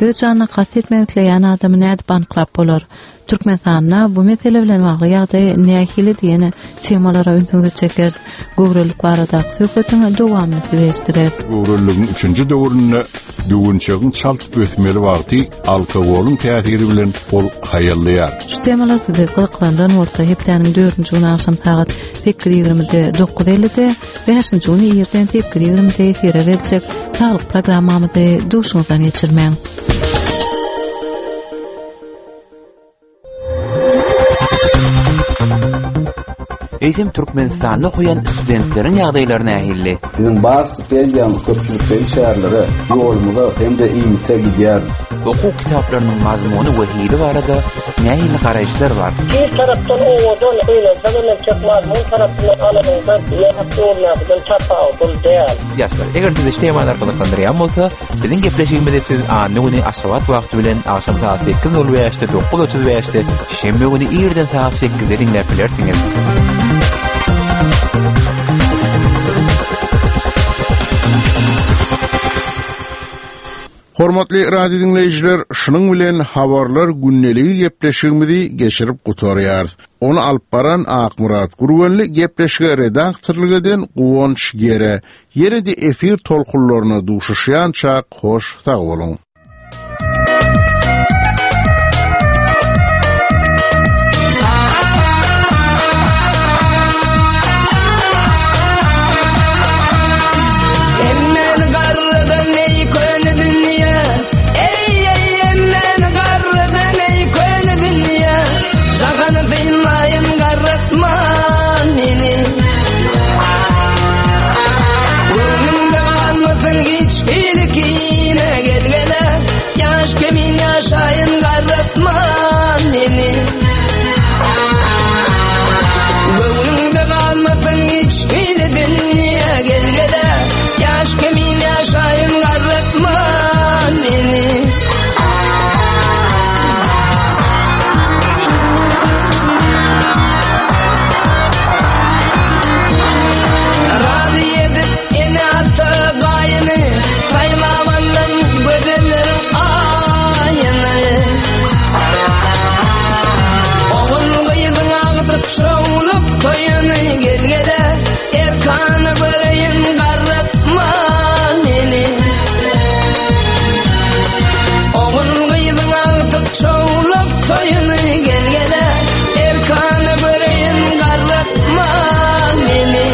Öz janyna kast etmek isleýän adamy nädip anyklap bolar? Türkmenistanda bu mesele bilen bagly ýagdaý nähili diýen temalara ünsüňizi çekeris. Göwrelilik baradaky söhbetiň dowamyny size eşitdireris. Göwreliligiň üçünji döwründe düwünçegiň çalt ösmeli wagty alkogolyň täsiri bilen ol haýallaýar. Şu temalar sizi gyzyklandyran bolsa, hepdäniň dördünji güni agşam sagat 8:20-de 9:50-de, bäşinji güni irden 8:20-de efire berjek Saglyk programmamyzy duşuňyzdan geçirmäň. Eýsem Türkmenistanda okaýan studentleriň ýagdaýlary nähili? Biziň bar stipendiýamyz köpçülikleýin çärelere, ýolumyza hem-de iýmite gidýär. Okuw kitaplarynyň mazmuny we hili barada nähili garaýyşlar bar? Bir tarapdan owadan, gynansaňam entek mazmun tarapyndan alanyňda ýat ýoldakydan tapawutly däl. Ýaşlar, eger sizi şu temalar gyzyklandyrýan bolsa, Biziň gepleşigimizi siz anna güni Aşgabat wagty bilen agşam sagat 8:05-de, 9:35-de, şenbe güni irden sagat 8-de diňläp bilersiňiz. Hormatly radio diňleýjiler, şunuň bilen habarlar gündeligi gepleşigimizi geçirip gutarýarys. Ony alyp baran Akmyrat Gürgenli, gepleşige redaktorlyk eden Guwanç Gere. Ýene-de efir tolkunlaryna duşuşýançak hoş sag boluň! Emmen garrydan eý köne dünýä Eý eý emmen garrydan eý köne dünýä Jahany synlaýyn garratma meni Göwnümde galmasyn hiç hili kine Gel gele ýaş kemin ýaşaýyn garratma meni Göwnüňde galmasyn hiç hili dünýe Gel gele ýaş kemin ýaşaýyn garratma meni Razy edip ene-ata gaýyny, Saýlap aldym gözelleriň aýyny. Ogul-gyzyň agtyk şowlup toýuny, Gel-gele erkana göreýin garratma meni. Ogul-gyzyň agtyk şowlup toýuny, Gel-gele erkana göreýin garratma meni.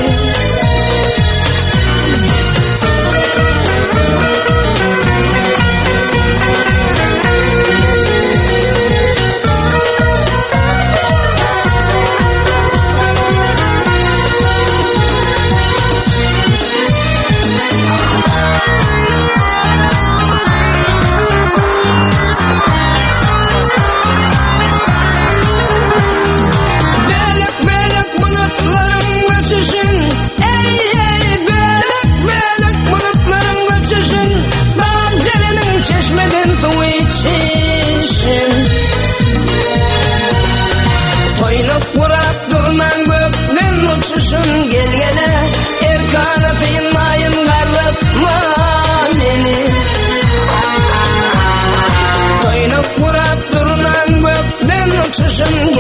Bölek-bölek bulutlaryň göçüşin, Eý-eý, bölek-bölek bulutlaryň göçüşin, Dag jereniň çeşmeden suw içişin. Toýnak gurap durnaň gökden uçuşyn, Gel-gele, erkana synlaýyn garratma meni. Toýnak gurap durnaň gökden uçuşyn.